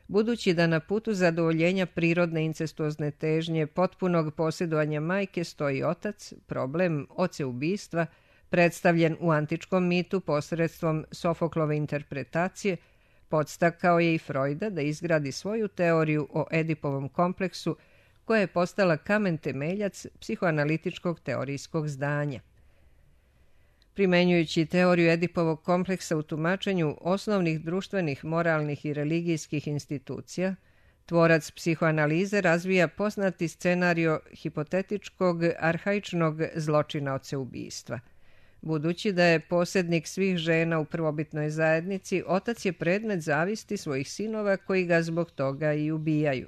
Budući da na putu zadovoljenja prirodne incestuozne težnje potpunog posjedovanja majke stoji otac, problem oceubistva, predstavljen u antičkom mitu posredstvom Sofoklove interpretacije, podstakao je i Freuda da izgradi svoju teoriju o Edipovom kompleksu, koja je postala kamen temeljac psihoanalitičkog teorijskog zdanja. Primenjujući teoriju Edipovog kompleksa u tumačenju osnovnih društvenih, moralnih i religijskih institucija, tvorac psihoanalize razvija poznati scenario hipotetičkog, arhaičnog zločina oceubistva. Budući da je posjednik svih žena u prvobitnoj zajednici, otac je predmet zavisti svojih sinova koji ga zbog toga i ubijaju.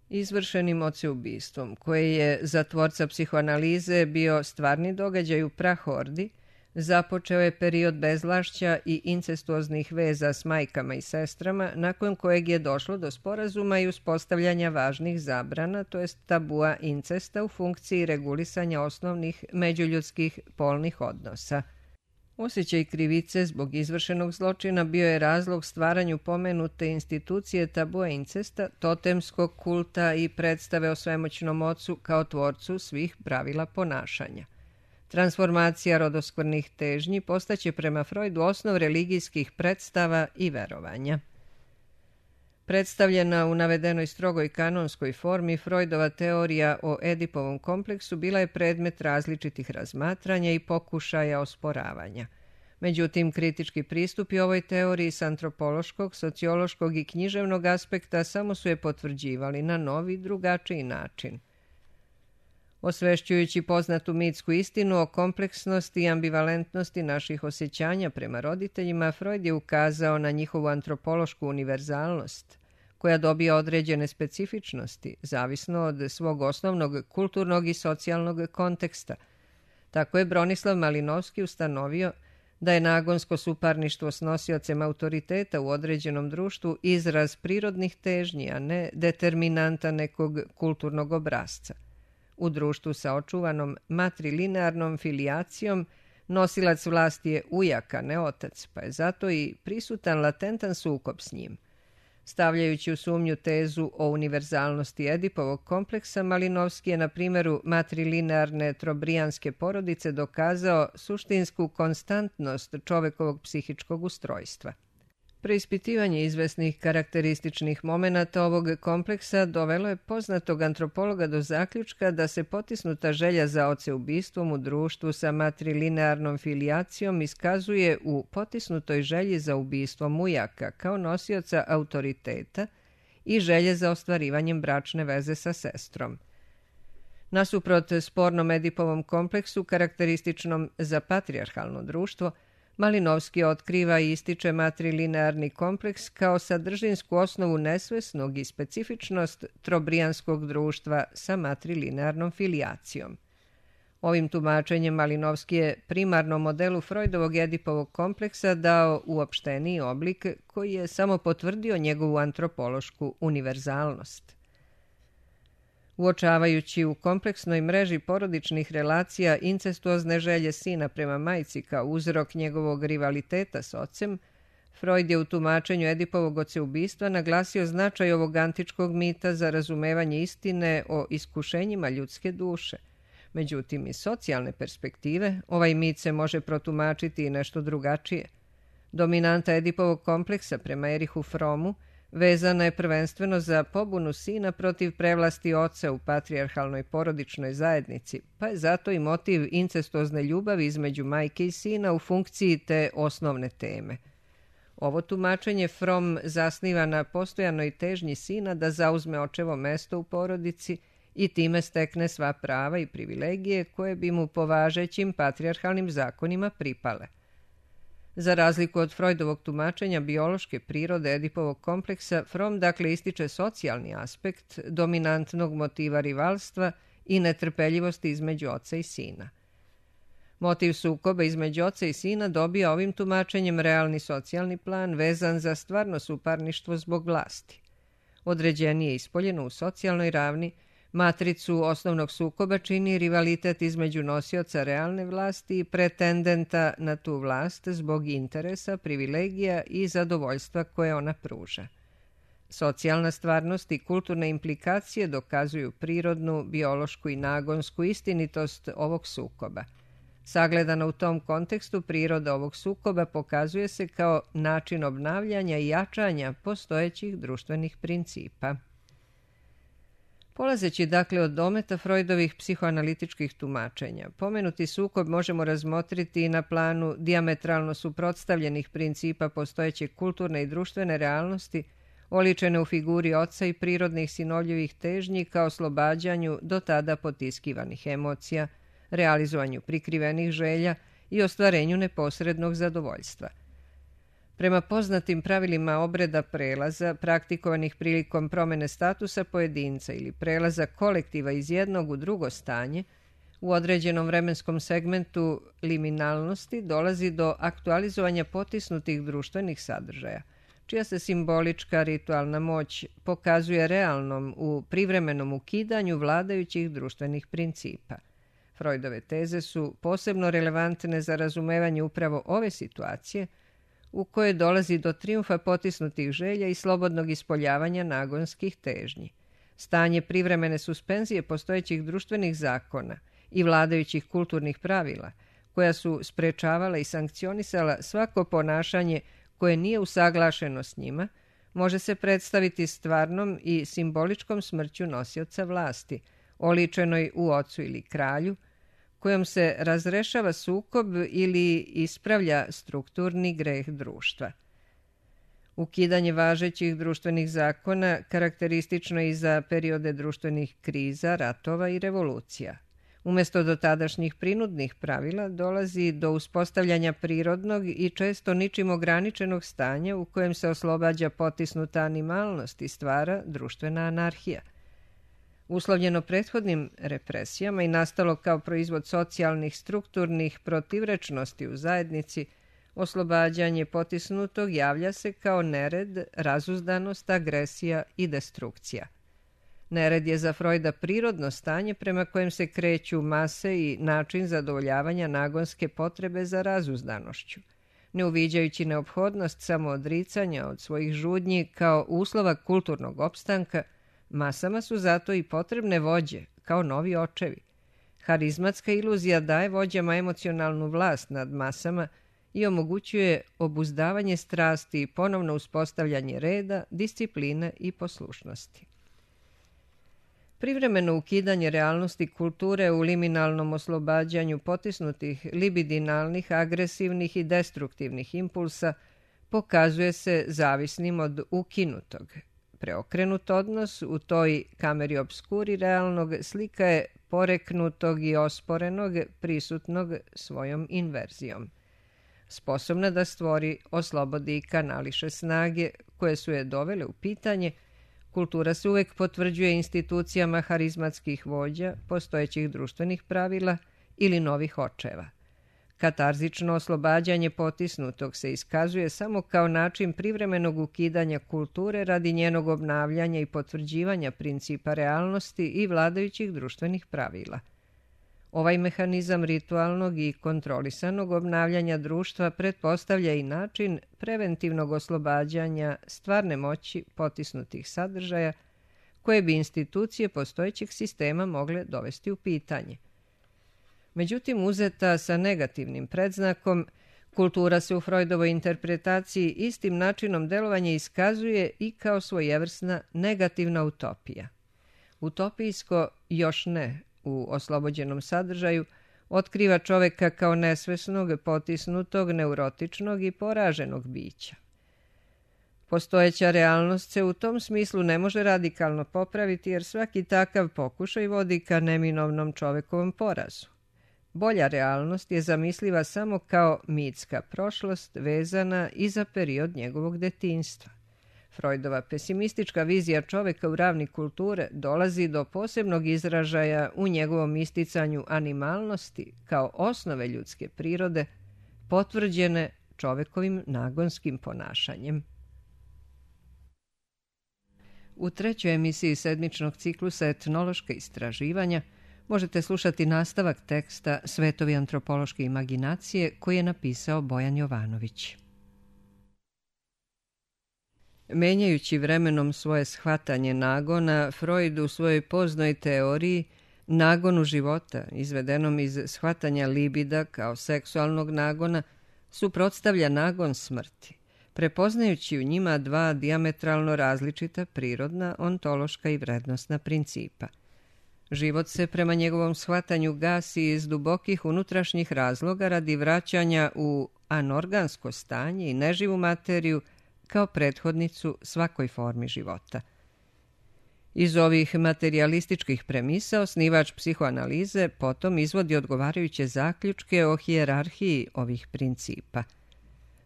Izvršenim oceubistvom, koje je za tvorca psihoanalize bio stvarni događaj u prahordi, započeo je period bezvlašća i incestuoznih veza s majkama i sestrama, nakon kojeg je došlo do sporazuma i uspostavljanja važnih zabrana, to jest tabua incesta u funkciji regulisanja osnovnih međuljudskih polnih odnosa. Osjećaj krivice zbog izvršenog zločina bio je razlog stvaranju pomenute institucije tabua incesta, totemskog kulta i predstave o svemoćnom ocu kao tvorcu svih pravila ponašanja. Transformacija rodoskvrnih težnji postaće prema Freudu osnov religijskih predstava i verovanja. Predstavljena u navedenoj strogoj kanonskoj formi, Freudova teorija o Edipovom kompleksu bila je predmet različitih razmatranja i pokušaja osporavanja. Međutim, kritički pristupi ovoj teoriji s antropološkog, sociološkog i književnog aspekta samo su je potvrđivali na novi, drugačiji način. Osvešćujući poznatu mitsku istinu o kompleksnosti i ambivalentnosti naših osjećanja prema roditeljima, Freud je ukazao na njihovu antropološku univerzalnost, koja dobija određene specifičnosti, zavisno od svog osnovnog kulturnog i socijalnog konteksta. Tako je Bronislav Malinovski ustanovio da je nagonsko suparništvo s nosiocem autoriteta u određenom društvu izraz prirodnih težnji, a ne determinanta nekog kulturnog obrasca. U društvu sa očuvanom matrilinearnom filijacijom nosilac vlasti je ujak, a ne otac, pa je zato i prisutan latentan sukob s njim. Stavljajući u sumnju tezu o univerzalnosti Edipovog kompleksa, Malinovski je na primjeru matrilinearne trobrijanske porodice dokazao suštinsku konstantnost čovekovog psihičkog ustrojstva. Preispitivanje izvesnih karakterističnih momenata ovog kompleksa dovelo je poznatog antropologa do zaključka da se potisnuta želja za oceubistvom u društvu sa matrilinearnom filijacijom iskazuje u potisnutoj želji za ubistvom ujaka kao nosioca autoriteta i želje za ostvarivanjem bračne veze sa sestrom. Nasuprot spornom Edipovom kompleksu, karakterističnom za patrijarhalno društvo, Malinovski otkriva i ističe matrilinearni kompleks kao sadržinsku osnovu nesvesnog i specifičnost trobrijanskog društva sa matrilinearnom filijacijom. Ovim tumačenjem Malinovski je primarnom modelu Freudovog Edipovog kompleksa dao uopšteniji oblik koji je samo potvrdio njegovu antropološku univerzalnost. Uočavajući u kompleksnoj mreži porodičnih relacija incestuozne želje sina prema majci kao uzrok njegovog rivaliteta s ocem, Freud je u tumačenju Edipovog oceubistva naglasio značaj ovog antičkog mita za razumevanje istine o iskušenjima ljudske duše. Međutim, iz socijalne perspektive ovaj mit se može protumačiti i nešto drugačije. Dominanta Edipovog kompleksa prema Erihu Fromu vezana je prvenstveno za pobunu sina protiv prevlasti oca u patrijarhalnoj porodičnoj zajednici, pa je zato i motiv incestuozne ljubavi između majke i sina u funkciji te osnovne teme. Ovo tumačenje Fromm zasniva na postojanoj težnji sina da zauzme očevo mesto u porodici i time stekne sva prava i privilegije koje bi mu po važećim patrijarhalnim zakonima pripale. Za razliku od Freudovog tumačenja biološke prirode Edipovog kompleksa, Fromm dakle ističe socijalni aspekt dominantnog motiva rivalstva i netrpeljivosti između oca i sina. Motiv sukoba između oca i sina dobija ovim tumačenjem realni socijalni plan vezan za stvarno suparništvo zbog vlasti. Određenije ispoljeno u socijalnoj ravni, matricu osnovnog sukoba čini rivalitet između nosioca realne vlasti i pretendenta na tu vlast zbog interesa, privilegija i zadovoljstva koje ona pruža. Socijalna stvarnost i kulturne implikacije dokazuju prirodnu, biološku i nagonsku istinitost ovog sukoba. Sagledana u tom kontekstu, priroda ovog sukoba pokazuje se kao način obnavljanja i jačanja postojećih društvenih principa. Polazeći dakle od dometa Freudovih psihoanalitičkih tumačenja, pomenuti sukob možemo razmotriti i na planu dijametralno suprotstavljenih principa postojeće kulturne i društvene realnosti, oličene u figuri oca i prirodnih sinovljevih težnji kao oslobađanju do tada potiskivanih emocija, realizovanju prikrivenih želja i ostvarenju neposrednog zadovoljstva. Prema poznatim pravilima obreda prelaza, praktikovanih prilikom promene statusa pojedinca ili prelaza kolektiva iz jednog u drugo stanje, u određenom vremenskom segmentu liminalnosti dolazi do aktualizovanja potisnutih društvenih sadržaja, čija se simbolička ritualna moć pokazuje realnom u privremenom ukidanju vladajućih društvenih principa. Freudove teze su posebno relevantne za razumevanje upravo ove situacije, u kojoj dolazi do trijumfa potisnutih želja i slobodnog ispoljavanja nagonskih težnji. Stanje privremene suspenzije postojećih društvenih zakona i vladajućih kulturnih pravila, koja su sprečavala i sankcionisala svako ponašanje koje nije usaglašeno s njima, može se predstaviti stvarnom i simboličkom smrću nosioca vlasti, oličenoj u ocu ili kralju, kojom se razrešava sukob ili ispravlja strukturni greh društva. Ukidanje važećih društvenih zakona karakteristično je i za periode društvenih kriza, ratova i revolucija. Umjesto dotadašnjih prinudnih pravila dolazi do uspostavljanja prirodnog i često ničim ograničenog stanja u kojem se oslobađa potisnuta animalnost i stvara društvena anarhija. Uslovljeno prethodnim represijama i nastalo kao proizvod socijalnih strukturnih protivrečnosti u zajednici, oslobađanje potisnutog javlja se kao nered, razuzdanost, agresija i destrukcija. Nered je za Freuda prirodno stanje prema kojem se kreću mase i način zadovoljavanja nagonske potrebe za razuzdanošću. Ne uviđajući neophodnost samoodricanja od svojih žudnji kao uslova kulturnog opstanka, masama su zato i potrebne vođe, kao novi očevi. Harizmatska iluzija daje vođama emocionalnu vlast nad masama i omogućuje obuzdavanje strasti i ponovno uspostavljanje reda, discipline i poslušnosti. Privremeno ukidanje realnosti kulture u liminalnom oslobađanju potisnutih libidinalnih, agresivnih i destruktivnih impulsa pokazuje se zavisnim od ukinutog. Preokrenut odnos u toj kameri obskuri realnog slika je poreknutog i osporenog, prisutnog svojom inverzijom. Sposobna da stvori, oslobodi i kanališe snage koje su je dovele u pitanje, kultura se uvek potvrđuje institucijama harizmatskih vođa, postojećih društvenih pravila ili novih očeva. Katarzično oslobađanje potisnutog se iskazuje samo kao način privremenog ukidanja kulture radi njenog obnavljanja i potvrđivanja principa realnosti i vladajućih društvenih pravila. Ovaj mehanizam ritualnog i kontrolisanog obnavljanja društva pretpostavlja i način preventivnog oslobađanja stvarne moći potisnutih sadržaja koje bi institucije postojećeg sistema mogle dovesti u pitanje. Međutim, uzeta sa negativnim predznakom, kultura se u Freudovoj interpretaciji istim načinom delovanja iskazuje i kao svojevrsna negativna utopija. Utopijsko još ne u oslobođenom sadržaju otkriva čoveka kao nesvesnog, potisnutog, neurotičnog i poraženog bića. Postojeća realnost se u tom smislu ne može radikalno popraviti jer svaki takav pokušaj vodi ka neminovnom čovekovom porazu. Bolja realnost je zamisliva samo kao mitska prošlost vezana i za period njegovog detinjstva. Freudova pesimistička vizija čoveka u ravni kulture dolazi do posebnog izražaja u njegovom isticanju animalnosti kao osnove ljudske prirode, potvrđene čovekovim nagonskim ponašanjem. U trećoj emisiji sedmičnog ciklusa Etnološka istraživanja možete slušati nastavak teksta Svetovi antropološke imaginacije koji je napisao Bojan Jovanović. Menjajući vremenom svoje shvatanje nagona, Freud u svojoj poznoj teoriji nagonu života, izvedenom iz shvatanja libida kao seksualnog nagona, suprotstavlja nagon smrti, prepoznajući u njima dva dijametralno različita prirodna, ontološka i vrednostna principa. Život se prema njegovom shvatanju gasi iz dubokih unutrašnjih razloga radi vraćanja u anorgansko stanje i neživu materiju kao prethodnicu svakoj formi života. Iz ovih materijalističkih premisa osnivač psihoanalize potom izvodi odgovarajuće zaključke o hijerarhiji ovih principa.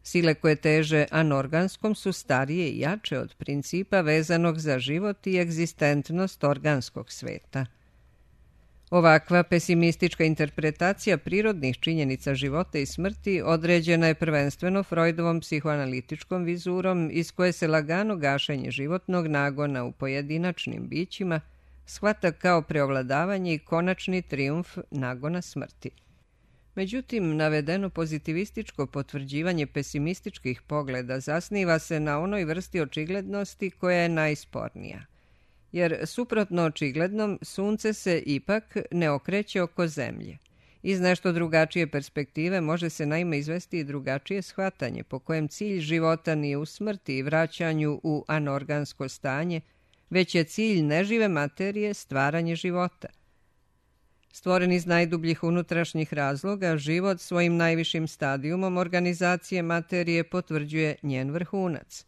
Sile koje teže anorganskom su starije i jače od principa vezanog za život i egzistentnost organskog sveta. Ovakva pesimistička interpretacija prirodnih činjenica života i smrti određena je prvenstveno Freudovom psihoanalitičkom vizurom iz koje se lagano gašenje životnog nagona u pojedinačnim bićima shvata kao preovladavanje i konačni trijumf nagona smrti. Međutim, navedeno pozitivističko potvrđivanje pesimističkih pogleda zasniva se na onoj vrsti očiglednosti koja je najspornija. Jer suprotno očiglednom, sunce se ipak ne okreće oko zemlje Iz nešto drugačije perspektive može se naime izvesti i drugačije shvatanje po kojem cilj života nije u smrti i vraćanju u anorgansko stanje, već je cilj nežive materije stvaranje života. Stvoren iz najdubljih unutrašnjih razloga, život svojim najvišim stadijumom organizacije materije potvrđuje njen vrhunac.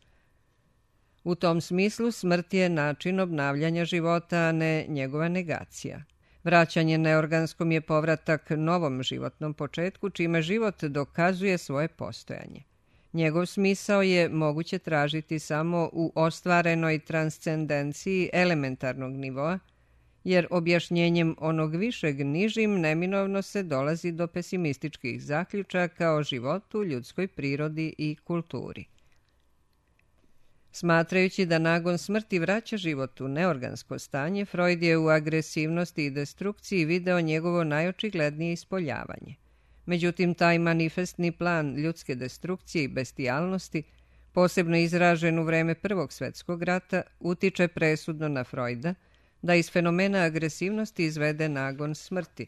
U tom smislu smrt je način obnavljanja života, a ne njegova negacija. Vraćanje neorganskom je povratak novom životnom početku, čime život dokazuje svoje postojanje. Njegov smisao je moguće tražiti samo u ostvarenoj transcendenciji elementarnog nivoa, jer objašnjenjem onog višeg nižim neminovno se dolazi do pesimističkih zaključaka o životu, ljudskoj prirodi i kulturi. Smatrajući da nagon smrti vraća život u neorgansko stanje, Freud je u agresivnosti i destrukciji video njegovo najočiglednije ispoljavanje. Međutim, taj manifestni plan ljudske destrukcije i bestijalnosti, posebno izražen u vreme Prvog svjetskog rata, utiče presudno na Freuda da iz fenomena agresivnosti izvede nagon smrti,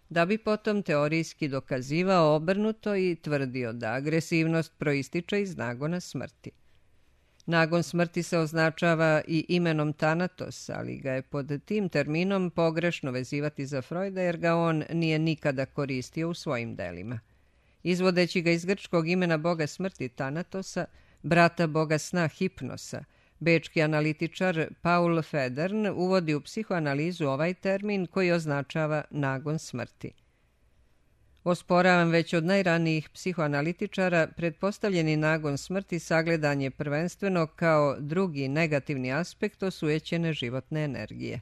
da bi potom teorijski dokazivao obrnuto i tvrdio da agresivnost proističe iz nagona smrti. Nagon smrti se označava i imenom Thanatos, ali ga je pod tim terminom pogrešno vezivati za Freuda jer ga on nije nikada koristio u svojim delima. Izvodeći ga iz grčkog imena boga smrti Thanatosa, brata boga sna Hipnosa, bečki analitičar Paul Federn uvodi u psihoanalizu ovaj termin koji označava nagon smrti. Osporavam već od najranijih psihoanalitičara, pretpostavljeni nagon smrti sagledan je prvenstveno kao drugi negativni aspekt osujećene životne energije.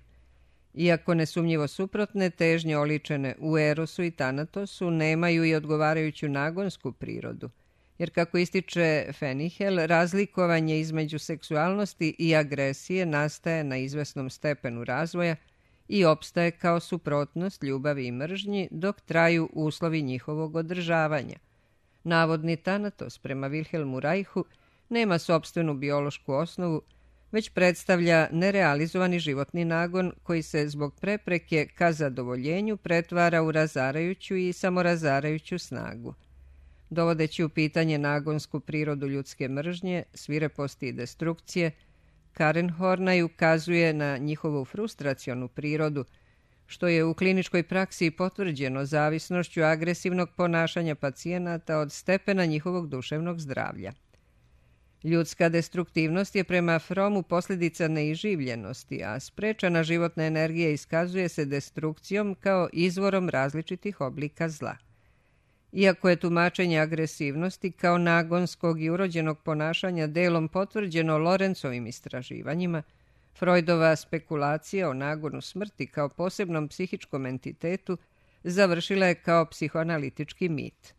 Iako nesumnjivo suprotne, težnje oličene u Erosu i Thanatosu nemaju i odgovarajuću nagonsku prirodu, jer kako ističe Fenihel, razlikovanje između seksualnosti i agresije nastaje na izvesnom stepenu razvoja i opstaje kao suprotnost ljubavi i mržnji dok traju uslovi njihovog održavanja. Navodni Thanatos prema Wilhelmu Reichu nema sopstvenu biološku osnovu, već predstavlja nerealizovani životni nagon koji se zbog prepreke ka zadovoljenju pretvara u razarajuću i samorazarajuću snagu. Dovodeći u pitanje nagonsku prirodu ljudske mržnje, svireposti i destrukcije, Karen Horney ukazuje na njihovu frustracionu prirodu, što je u kliničkoj praksi potvrđeno zavisnošću agresivnog ponašanja pacijenata od stepena njihovog duševnog zdravlja. Ljudska destruktivnost je prema Fromu posljedica neiživljenosti, a sprečana životna energija iskazuje se destrukcijom kao izvorom različitih oblika zla. Iako je tumačenje agresivnosti kao nagonskog i urođenog ponašanja delom potvrđeno Lorencovim istraživanjima, Freudova spekulacija o nagonu smrti kao posebnom psihičkom entitetu završila je kao psihoanalitički mit.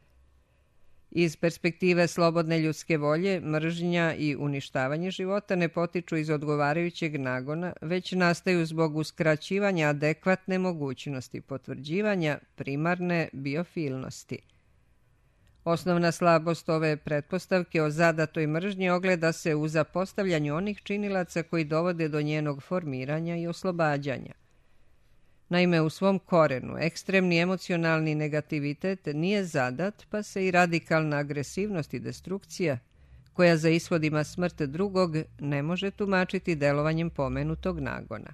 Iz perspektive slobodne ljudske volje, mržnja i uništavanje života ne potiču iz odgovarajućeg nagona, već nastaju zbog uskraćivanja adekvatne mogućnosti potvrđivanja primarne biofilnosti. Osnovna slabost ove pretpostavke o zadatoj mržnji ogleda se u zapostavljanju onih činilaca koji dovode do njenog formiranja i oslobađanja. Naime, u svom korenu ekstremni emocionalni negativitet nije zadat, pa se i radikalna agresivnost i destrukcija, koja za ishod ima smrt drugog, ne može tumačiti delovanjem pomenutog nagona.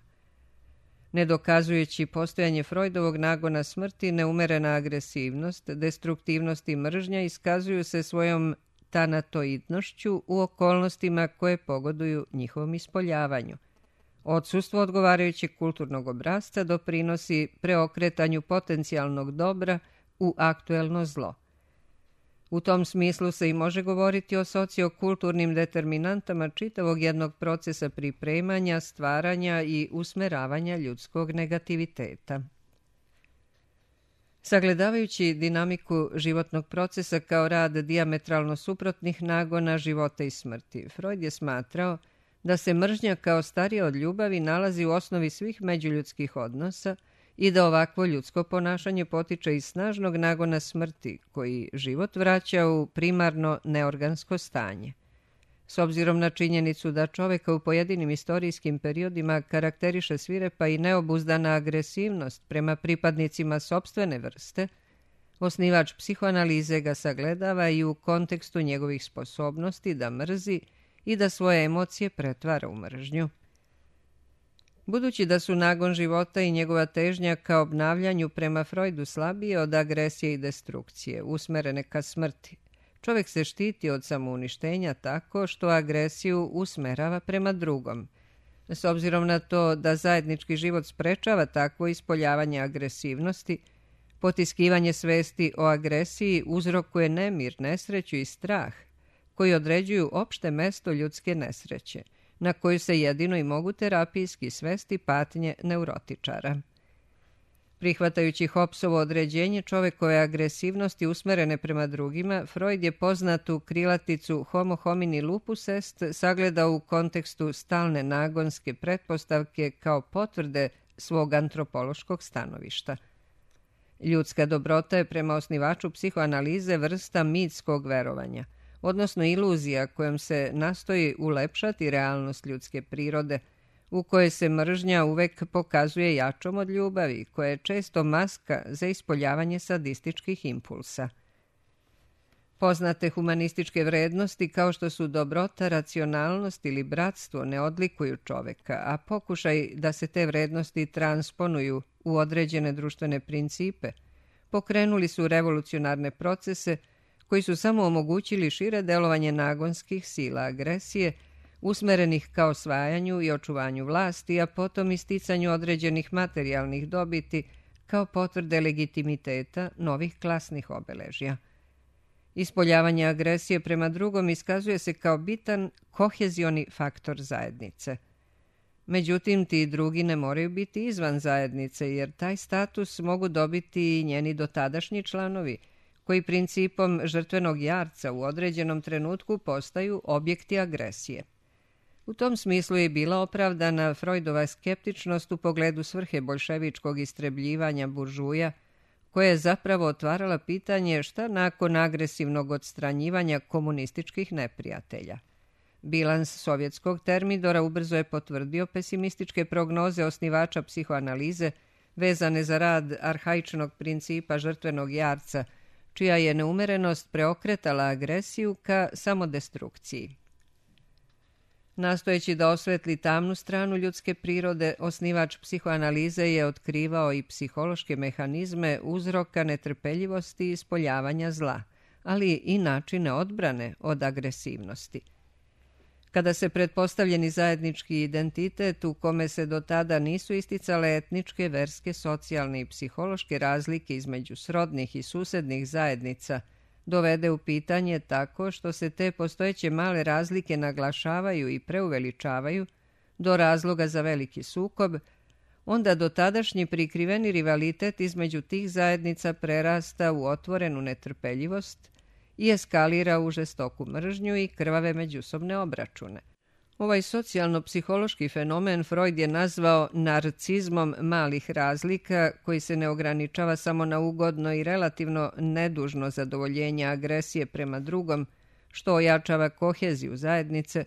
Ne dokazujući postojanje Freudovog nagona smrti, neumerena agresivnost, destruktivnost i mržnja iskazuju se svojom tanatoidnošću u okolnostima koje pogoduju njihovom ispoljavanju. Odsustvo odgovarajućeg kulturnog obrasca doprinosi preokretanju potencijalnog dobra u aktuelno zlo. U tom smislu se i može govoriti o sociokulturnim determinantama čitavog jednog procesa pripremanja, stvaranja i usmeravanja ljudskog negativiteta. Sagledavajući dinamiku životnog procesa kao rad dijametralno suprotnih nagona života i smrti, Freud je smatrao da se mržnja kao starija od ljubavi nalazi u osnovi svih međuljudskih odnosa i da ovakvo ljudsko ponašanje potiče iz snažnog nagona smrti, koji život vraća u primarno neorgansko stanje. S obzirom na činjenicu da čoveka u pojedinim istorijskim periodima karakteriše svirepa i neobuzdana agresivnost prema pripadnicima sopstvene vrste, Osnivač psihoanalize ga sagledava i u kontekstu njegovih sposobnosti da mrzi i da svoje emocije pretvara u mržnju. Budući da su nagon života i njegova težnja ka obnavljanju prema Freudu slabije od agresije i destrukcije, usmerene ka smrti, čovjek se štiti od samouništenja tako što agresiju usmerava prema drugom. S obzirom na to da zajednički život sprečava takvo ispoljavanje agresivnosti, potiskivanje svesti o agresiji uzrokuje nemir, nesreću i strah, koji određuju opšte mesto ljudske nesreće, na koju se jedino i mogu terapijski svesti patnje neurotičara. Prihvatajući Hobbesovo određenje čovekove agresivnosti usmerene prema drugima, Freud je poznatu krilaticu homo homini lupus est sagledao u kontekstu stalne nagonske pretpostavke kao potvrde svog antropološkog stanovišta. Ljudska dobrota je prema osnivaču psihoanalize vrsta mitskog verovanja, odnosno iluzija kojom se nastoji ulepšati realnost ljudske prirode, u kojoj se mržnja uvek pokazuje jačom od ljubavi, koja je često maska za ispoljavanje sadističkih impulsa. Poznate humanističke vrednosti kao što su dobrota, racionalnost ili bratstvo ne odlikuju čoveka, a pokušaj da se te vrednosti transponuju u određene društvene principe pokrenuli su revolucionarne procese koji su samo omogućili šire delovanje nagonskih sila agresije, usmerenih ka osvajanju i očuvanju vlasti, a potom isticanju određenih materijalnih dobiti kao potvrde legitimiteta novih klasnih obeležja. Ispoljavanje agresije prema drugom iskazuje se kao bitan kohezioni faktor zajednice. Međutim, ti drugi ne moraju biti izvan zajednice, jer taj status mogu dobiti i njeni dotadašnji članovi, koji principom žrtvenog jarca u određenom trenutku postaju objekti agresije. U tom smislu je bila opravdana Freudova skeptičnost u pogledu svrhe boljševičkog istrebljivanja buržuja, koja je zapravo otvarala pitanje šta nakon agresivnog odstranjivanja komunističkih neprijatelja. Bilans sovjetskog termidora ubrzo je potvrdio pesimističke prognoze osnivača psihoanalize vezane za rad arhaičnog principa žrtvenog jarca, čija je neumerenost preokretala agresiju ka samodestrukciji. Nastojeći da osvetli tamnu stranu ljudske prirode, osnivač psihoanalize je otkrivao i psihološke mehanizme uzroka netrpeljivosti i ispoljavanja zla, ali i načine odbrane od agresivnosti. Kada se pretpostavljeni zajednički identitet u kome se do tada nisu isticale etničke, verske, socijalne i psihološke razlike između srodnih i susednih zajednica dovede u pitanje tako što se te postojeće male razlike naglašavaju i preuveličavaju do razloga za veliki sukob, onda dotadašnji prikriveni rivalitet između tih zajednica prerasta u otvorenu netrpeljivost i eskalira u žestoku mržnju i krvave međusobne obračune. Ovaj socijalno-psihološki fenomen Freud je nazvao narcizmom malih razlika, koji se ne ograničava samo na ugodno i relativno nedužno zadovoljenje agresije prema drugom, što ojačava koheziju zajednice,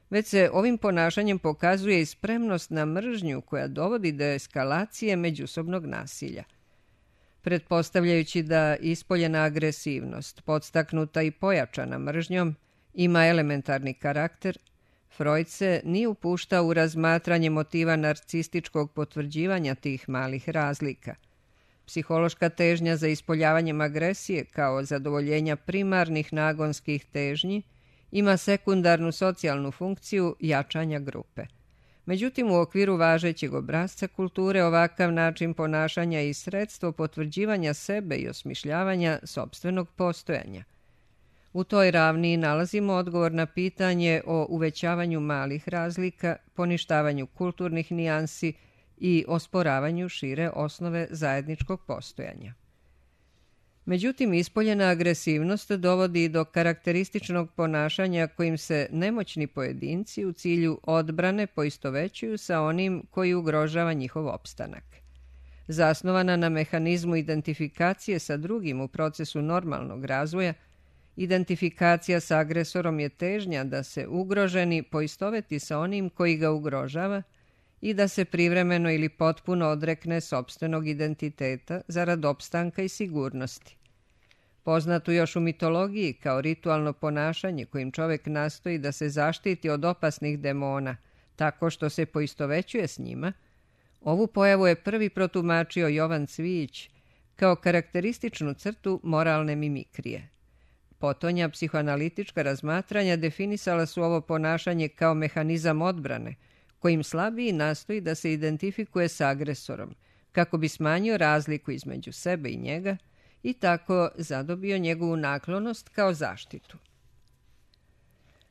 već se ovim ponašanjem pokazuje i spremnost na mržnju koja dovodi do eskalacije međusobnog nasilja. Pretpostavljajući da ispoljena agresivnost, podstaknuta i pojačana mržnjom, ima elementarni karakter, Freud se nije upuštao u razmatranje motiva narcističkog potvrđivanja tih malih razlika. Psihološka težnja za ispoljavanjem agresije kao zadovoljenja primarnih nagonskih težnji ima sekundarnu socijalnu funkciju jačanja grupe. Međutim, u okviru važećeg obrasca kulture ovakav način ponašanja je i sredstvo potvrđivanja sebe i osmišljavanja sopstvenog postojanja. U toj ravni nalazimo odgovor na pitanje o uvećavanju malih razlika, poništavanju kulturnih nijansi i osporavanju šire osnove zajedničkog postojanja. Međutim, ispoljena agresivnost dovodi do karakterističnog ponašanja kojim se nemoćni pojedinci u cilju odbrane poistovećuju sa onim koji ugrožava njihov opstanak. Zasnovana na mehanizmu identifikacije sa drugim u procesu normalnog razvoja, identifikacija sa agresorom je težnja da se ugroženi poistoveti sa onim koji ga ugrožava i da se privremeno ili potpuno odrekne sopstvenog identiteta zarad opstanka i sigurnosti. poznatu još u mitologiji kao ritualno ponašanje kojim čovjek nastoji da se zaštiti od opasnih demona tako što se poistovećuje s njima, ovu pojavu je prvi protumačio Jovan Cvijić kao karakterističnu crtu moralne mimikrije. Potonja psihoanalitička razmatranja definisala su ovo ponašanje kao mehanizam odbrane, kojim slabiji nastoji da se identifikuje s agresorom, kako bi smanjio razliku između sebe i njega i tako zadobio njegovu naklonost kao zaštitu.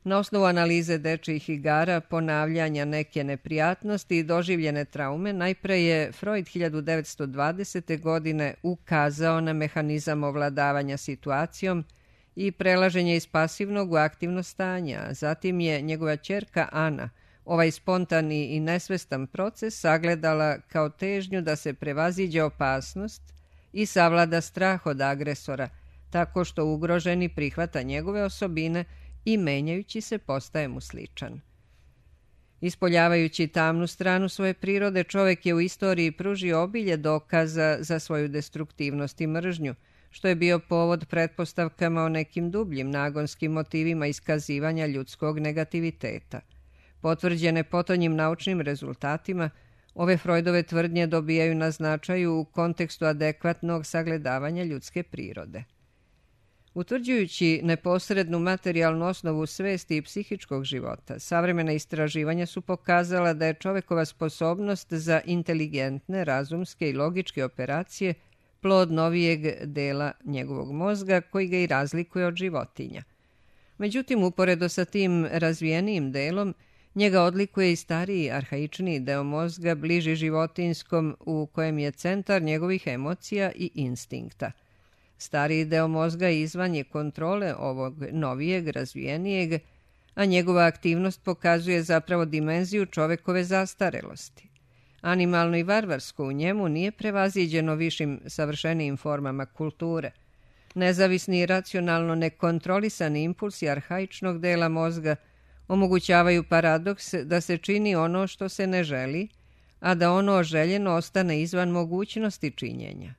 Na osnovu analize dečijih igara, ponavljanja neke neprijatnosti i doživljene traume, najpre je Freud hiljadu devetsto dvadesete. godine ukazao na mehanizam ovladavanja situacijom i prelaženje iz pasivnog u aktivno stanje, a zatim je njegova ćerka Ana ovaj spontani i nesvestan proces sagledala kao težnju da se prevaziđe opasnost i savlada strah od agresora, tako što ugroženi prihvata njegove osobine i menjajući se postaje mu sličan. Ispoljavajući tamnu stranu svoje prirode, čovjek je u istoriji pružio obilje dokaza za svoju destruktivnost i mržnju, što je bio povod pretpostavkama o nekim dubljim nagonskim motivima iskazivanja ljudskog negativiteta. Potvrđene potonjim naučnim rezultatima, ove Freudove tvrdnje dobijaju na značaju u kontekstu adekvatnog sagledavanja ljudske prirode. Utvrđujući neposrednu materijalnu osnovu svesti i psihičkog života, savremena istraživanja su pokazala da je čovjekova sposobnost za inteligentne, razumske i logičke operacije plod novijeg dela njegovog mozga koji ga i razlikuje od životinja. Međutim, uporedo sa tim razvijenijim delom, njega odlikuje i stariji, arhaičniji deo mozga, bliži životinskom, u kojem je centar njegovih emocija i instinkta. Stariji deo mozga izvan je kontrole ovog novijeg, razvijenijeg, a njegova aktivnost pokazuje zapravo dimenziju čovekove zastarelosti. Animalno i varvarsko u njemu nije prevaziđeno višim savršenijim formama kulture. Nezavisni i racionalno nekontrolisani impulsi arhaičnog dela mozga omogućavaju paradoks da se čini ono što se ne želi, a da ono željeno ostane izvan mogućnosti činjenja.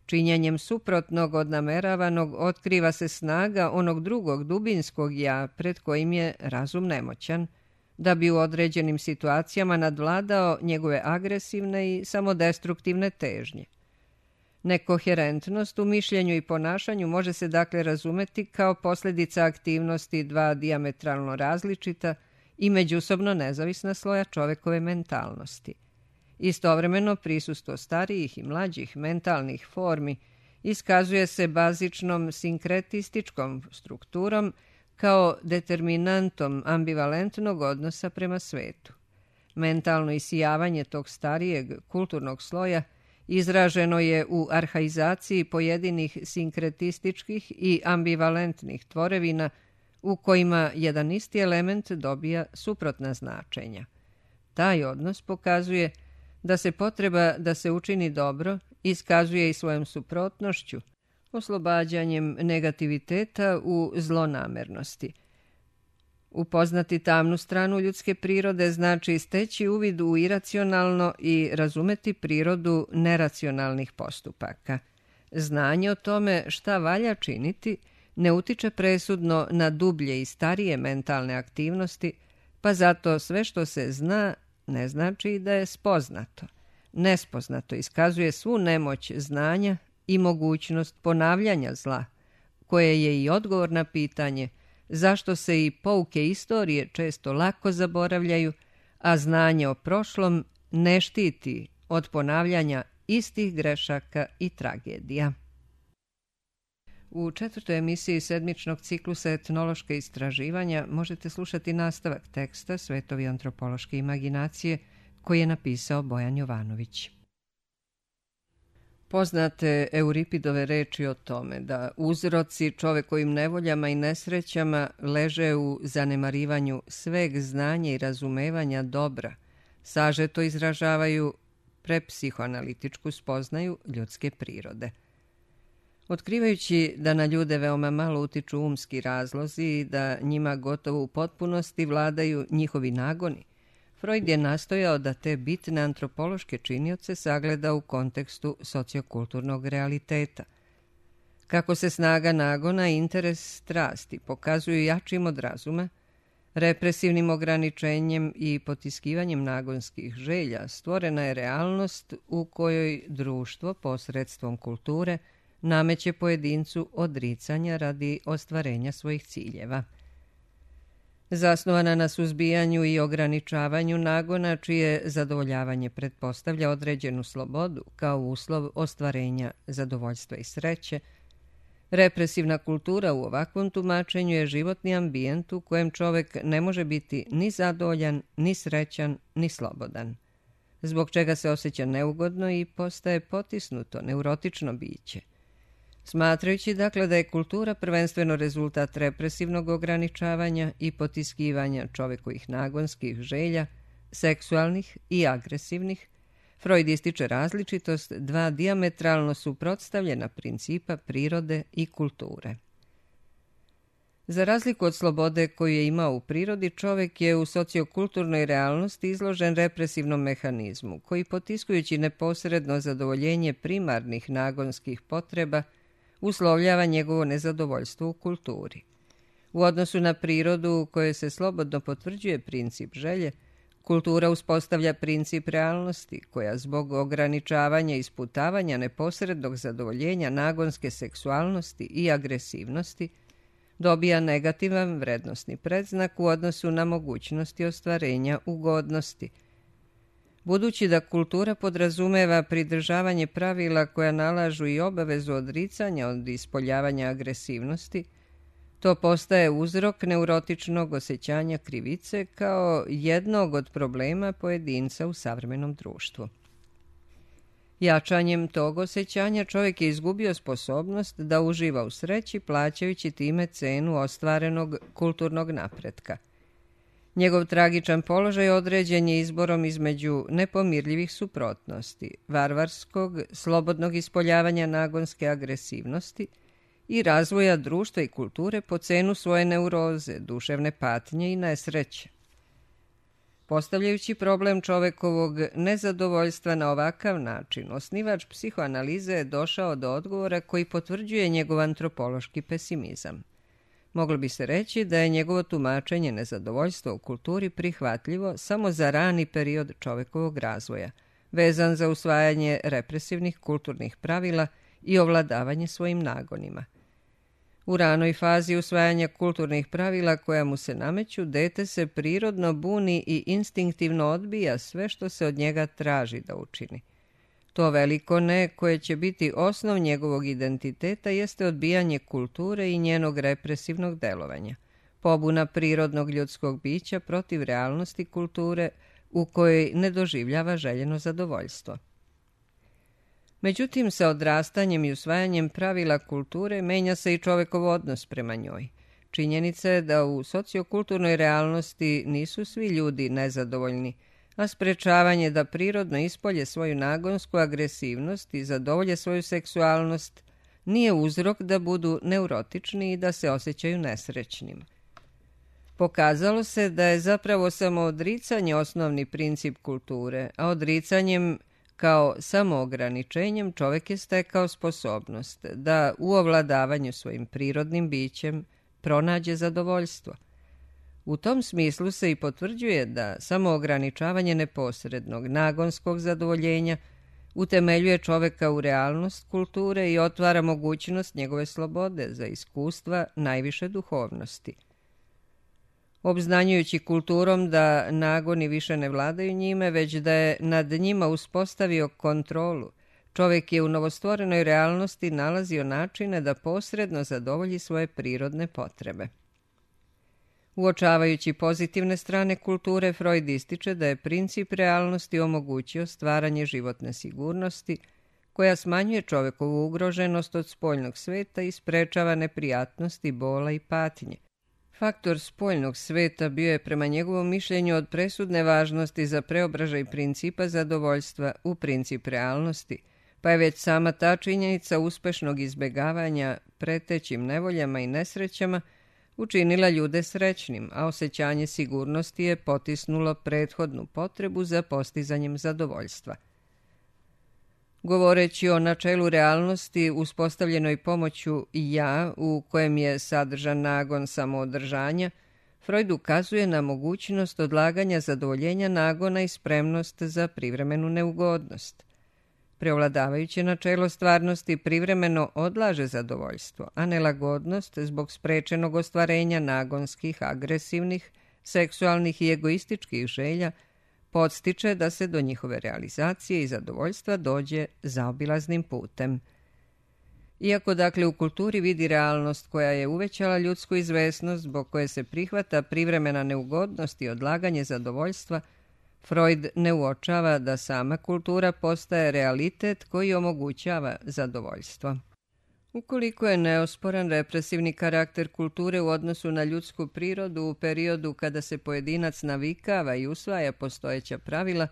Činjenjem suprotnog od nameravanog otkriva se snaga onog drugog dubinskog ja pred kojim je razum nemoćan, da bi u određenim situacijama nadvladao njegove agresivne i samodestruktivne težnje. Nekoherentnost u mišljenju i ponašanju može se dakle razumeti kao posljedica aktivnosti dva dijametralno različita i međusobno nezavisna sloja čovekove mentalnosti. Istovremeno prisustvo starijih i mlađih mentalnih formi iskazuje se bazičnom sinkretističkom strukturom kao determinantom ambivalentnog odnosa prema svetu. Mentalno isijavanje tog starijeg kulturnog sloja izraženo je u arhaizaciji pojedinih sinkretističkih i ambivalentnih tvorevina u kojima jedan isti element dobija suprotna značenja. Taj odnos pokazuje da se potreba da se učini dobro iskazuje i svojom suprotnošću, oslobađanjem negativiteta u zlonamernosti. Upoznati tamnu stranu ljudske prirode znači steći uvid u iracionalno i razumeti prirodu neracionalnih postupaka. Znanje o tome šta valja činiti ne utiče presudno na dublje i starije mentalne aktivnosti, pa zato sve što se zna ne znači da je spoznato. Nespoznato iskazuje svu nemoć znanja i mogućnost ponavljanja zla, koje je i odgovor na pitanje zašto se i pouke istorije često lako zaboravljaju, a znanje o prošlom ne štiti od ponavljanja istih grešaka i tragedija. U četvrtoj emisiji sedmičnog ciklusa Etnološke istraživanja možete slušati nastavak teksta Svetovi antropološke imaginacije koji je napisao Bojan Jovanović. Poznate Euripidove reči o tome da uzroci čovekovim nevoljama i nesrećama leže u zanemarivanju sveg znanja i razumevanja dobra, sažeto izražavaju prepsihoanalitičku spoznaju ljudske prirode. Otkrivajući da na ljude veoma malo utiču umski razlozi i da njima gotovo u potpunosti vladaju njihovi nagoni, Freud je nastojao da te bitne antropološke činioce sagleda u kontekstu sociokulturnog realiteta. Kako se snaga nagona i interes strasti pokazuju jačim od razuma, represivnim ograničenjem i potiskivanjem nagonskih želja stvorena je realnost u kojoj društvo posredstvom kulture nameće pojedincu odricanja radi ostvarenja svojih ciljeva. Zasnovana na suzbijanju i ograničavanju nagona, čije zadovoljavanje pretpostavlja određenu slobodu kao uslov ostvarenja zadovoljstva i sreće, represivna kultura u ovakvom tumačenju je životni ambijent u kojem čovek ne može biti ni zadovoljan, ni srećan, ni slobodan, zbog čega se osjeća neugodno i postaje potisnuto, neurotično biće. Smatrajući dakle da je kultura prvenstveno rezultat represivnog ograničavanja i potiskivanja čovekovih nagonskih želja, seksualnih i agresivnih, Freud ističe različitost dva dijametralno suprotstavljena principa prirode i kulture. Za razliku od slobode koju je imao u prirodi, čovek je u sociokulturnoj realnosti izložen represivnom mehanizmu, koji potiskujući neposredno zadovoljenje primarnih nagonskih potreba, uslovljava njegovo nezadovoljstvo u kulturi. U odnosu na prirodu u kojoj se slobodno potvrđuje princip želje, kultura uspostavlja princip realnosti, koja zbog ograničavanja i sputavanja neposrednog zadovoljenja nagonske seksualnosti i agresivnosti dobija negativan vrednosni predznak u odnosu na mogućnosti ostvarenja ugodnosti. Budući da kultura podrazumeva pridržavanje pravila koja nalažu i obavezu odricanja od ispoljavanja agresivnosti, to postaje uzrok neurotičnog osjećanja krivice kao jednog od problema pojedinca u savremenom društvu. Jačanjem tog osjećanja čovjek je izgubio sposobnost da uživa u sreći, plaćajući time cenu ostvarenog kulturnog napretka. Njegov tragičan položaj određen je izborom između nepomirljivih suprotnosti, varvarskog, slobodnog ispoljavanja nagonske agresivnosti i razvoja društva i kulture po cenu svoje neuroze, duševne patnje i nesreće. Postavljajući problem čovekovog nezadovoljstva na ovakav način, osnivač psihoanalize je došao do odgovora koji potvrđuje njegov antropološki pesimizam. Moglo bi se reći da je njegovo tumačenje nezadovoljstva u kulturi prihvatljivo samo za rani period čovekovog razvoja, vezan za usvajanje represivnih kulturnih pravila i ovladavanje svojim nagonima. U ranoj fazi usvajanja kulturnih pravila koja mu se nameću, dete se prirodno buni i instinktivno odbija sve što se od njega traži da učini. To veliko ne, koje će biti osnov njegovog identiteta, jeste odbijanje kulture i njenog represivnog delovanja, pobuna prirodnog ljudskog bića protiv realnosti kulture u kojoj ne doživljava željeno zadovoljstvo. Međutim, sa odrastanjem i usvajanjem pravila kulture menja se i čovekov odnos prema njoj. Činjenica je da u sociokulturnoj realnosti nisu svi ljudi nezadovoljni, a sprečavanje da prirodno ispolje svoju nagonsku agresivnost i zadovolje svoju seksualnost nije uzrok da budu neurotični i da se osjećaju nesrećnim. Pokazalo se da je zapravo samo odricanje osnovni princip kulture, a odricanjem kao samoograničenjem čovek je stekao sposobnost da u ovladavanju svojim prirodnim bićem pronađe zadovoljstvo. U tom smislu se i potvrđuje da samoograničavanje neposrednog nagonskog zadovoljenja utemeljuje čoveka u realnost kulture i otvara mogućnost njegove slobode za iskustva najviše duhovnosti. Obznanjujući kulturom da nagoni više ne vladaju njime, već da je nad njima uspostavio kontrolu, čovek je u novostvorenoj realnosti nalazio načine da posredno zadovolji svoje prirodne potrebe. Uočavajući pozitivne strane kulture, Freud ističe da je princip realnosti omogućio stvaranje životne sigurnosti, koja smanjuje čovekovu ugroženost od spoljnog sveta i sprečava neprijatnosti, bola i patnje. Faktor spoljnog sveta bio je prema njegovom mišljenju od presudne važnosti za preobražaj principa zadovoljstva u princip realnosti, pa je već sama ta činjenica uspešnog izbegavanja pretećim nevoljama i nesrećama učinila ljude srećnim, a osjećanje sigurnosti je potisnulo prethodnu potrebu za postizanjem zadovoljstva. Govoreći o načelu realnosti uspostavljenoj pomoću ja, u kojem je sadržan nagon samoodržanja, Freud ukazuje na mogućnost odlaganja zadovoljenja nagona i spremnost za privremenu neugodnost. Preovladavajuće načelo stvarnosti privremeno odlaže zadovoljstvo, a nelagodnost zbog sprečenog ostvarenja nagonskih, agresivnih, seksualnih i egoističkih želja podstiče da se do njihove realizacije i zadovoljstva dođe zaobilaznim putem. Iako dakle u kulturi vidi realnost koja je uvećala ljudsku izvesnost zbog koje se prihvata privremena neugodnost i odlaganje zadovoljstva, Freud ne uočava da sama kultura postaje realitet koji omogućava zadovoljstvo. Ukoliko je neosporan represivni karakter kulture u odnosu na ljudsku prirodu u periodu kada se pojedinac navikava i usvaja postojeća pravila,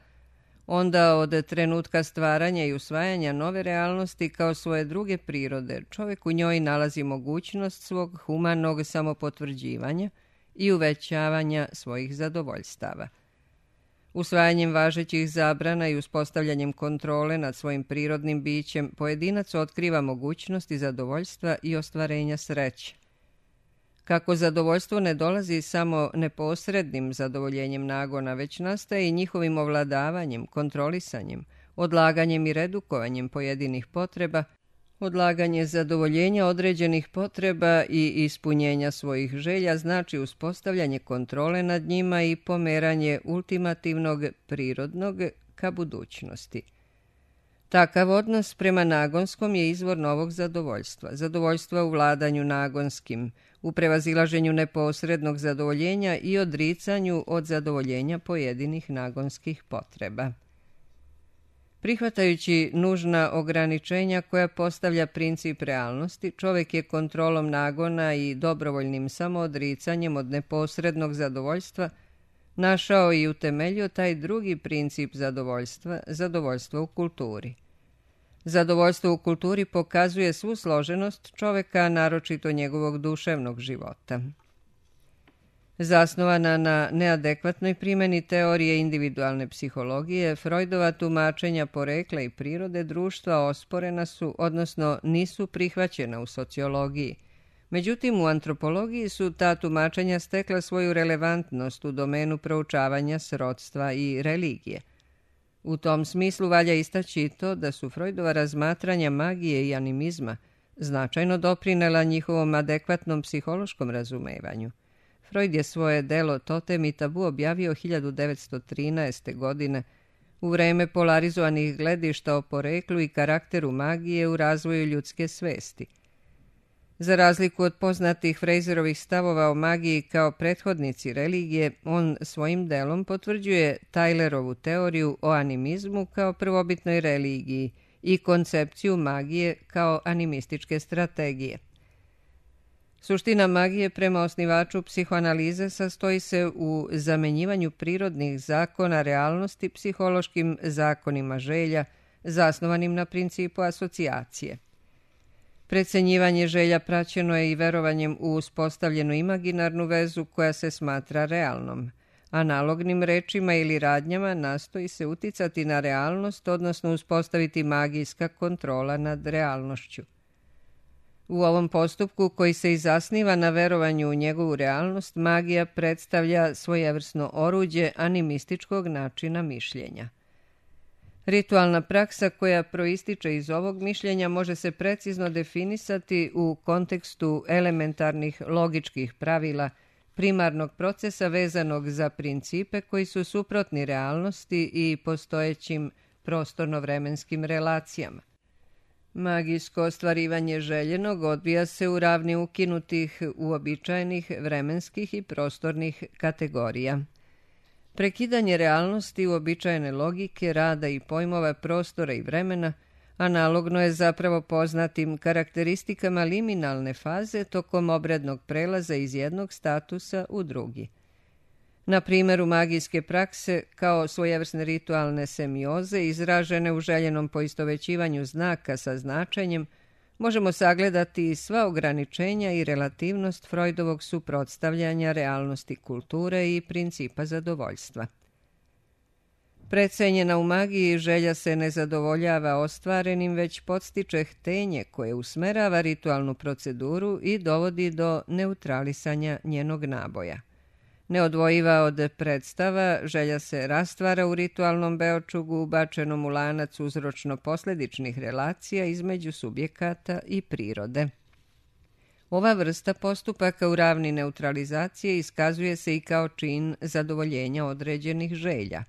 onda od trenutka stvaranja i usvajanja nove realnosti kao svoje druge prirode, čovjek u njoj nalazi mogućnost svog humanog samopotvrđivanja i uvećavanja svojih zadovoljstava. Usvajanjem važećih zabrana i uspostavljanjem kontrole nad svojim prirodnim bićem, pojedinac otkriva mogućnosti zadovoljstva i ostvarenja sreće. Kako zadovoljstvo ne dolazi samo neposrednim zadovoljenjem nagona, već nastaje i njihovim ovladavanjem, kontrolisanjem, odlaganjem i redukovanjem pojedinih potreba, odlaganje zadovoljenja određenih potreba i ispunjenja svojih želja znači uspostavljanje kontrole nad njima i pomeranje ultimativnog prirodnog ka budućnosti. Takav odnos prema nagonskom je izvor novog zadovoljstva, zadovoljstva u vladanju nagonskim, u prevazilaženju neposrednog zadovoljenja i odricanju od zadovoljenja pojedinih nagonskih potreba. Prihvatajući nužna ograničenja koja postavlja princip realnosti, čovjek je kontrolom nagona i dobrovoljnim samoodricanjem od neposrednog zadovoljstva našao i utemeljio taj drugi princip zadovoljstva, zadovoljstvo u kulturi. Zadovoljstvo u kulturi pokazuje svu složenost čovjeka, naročito njegovog duševnog života. Zasnovana na neadekvatnoj primjeni teorije individualne psihologije, Freudova tumačenja porekla i prirode društva osporena su, odnosno nisu prihvaćena u sociologiji. Međutim, u antropologiji su ta tumačenja stekla svoju relevantnost u domenu proučavanja srodstva i religije. U tom smislu valja istaći i to da su Freudova razmatranja magije i animizma značajno doprinela njihovom adekvatnom psihološkom razumevanju. Freud je svoje delo Totem i tabu objavio hiljadu devetsto trinaeste. godine u vreme polarizovanih gledišta o poreklu i karakteru magije u razvoju ljudske svesti. Za razliku od poznatih Frazerovih stavova o magiji kao prethodnici religije, on svojim delom potvrđuje Tylerovu teoriju o animizmu kao prvobitnoj religiji i koncepciju magije kao animističke strategije. Suština magije prema osnivaču psihoanalize sastoji se u zamenjivanju prirodnih zakona realnosti psihološkim zakonima želja, zasnovanim na principu asocijacije. Precenjivanje želja praćeno je i verovanjem u uspostavljenu imaginarnu vezu koja se smatra realnom. Analognim rečima ili radnjama nastoji se uticati na realnost, odnosno uspostaviti magijska kontrola nad realnošću. U ovom postupku, koji se i zasniva na verovanju u njegovu realnost, magija predstavlja svojevrsno oruđe animističkog načina mišljenja. Ritualna praksa koja proističe iz ovog mišljenja može se precizno definisati u kontekstu elementarnih logičkih pravila primarnog procesa vezanog za principe koji su suprotni realnosti i postojećim prostorno-vremenskim relacijama. Magijsko ostvarivanje željenog odvija se u ravni ukinutih uobičajenih vremenskih i prostornih kategorija. Prekidanje realnosti uobičajene logike, rada i pojmova prostora i vremena analogno je zapravo poznatim karakteristikama liminalne faze tokom obrednog prelaza iz jednog statusa u drugi. Na primjeru magijske prakse, kao svojevrsne ritualne semioze izražene u željenom poistovećivanju znaka sa značenjem, možemo sagledati sva ograničenja i relativnost Freudovog suprotstavljanja realnosti kulture i principa zadovoljstva. Precenjena u magiji, želja se ne zadovoljava ostvarenim, već podstiče htenje koje usmerava ritualnu proceduru i dovodi do neutralisanja njenog naboja. Neodvojiva od predstava, želja se rastvara u ritualnom beočugu ubačenom u lanac uzročno-posledičnih relacija između subjekata i prirode. Ova vrsta postupaka u ravni neutralizacije iskazuje se i kao čin zadovoljenja određenih želja.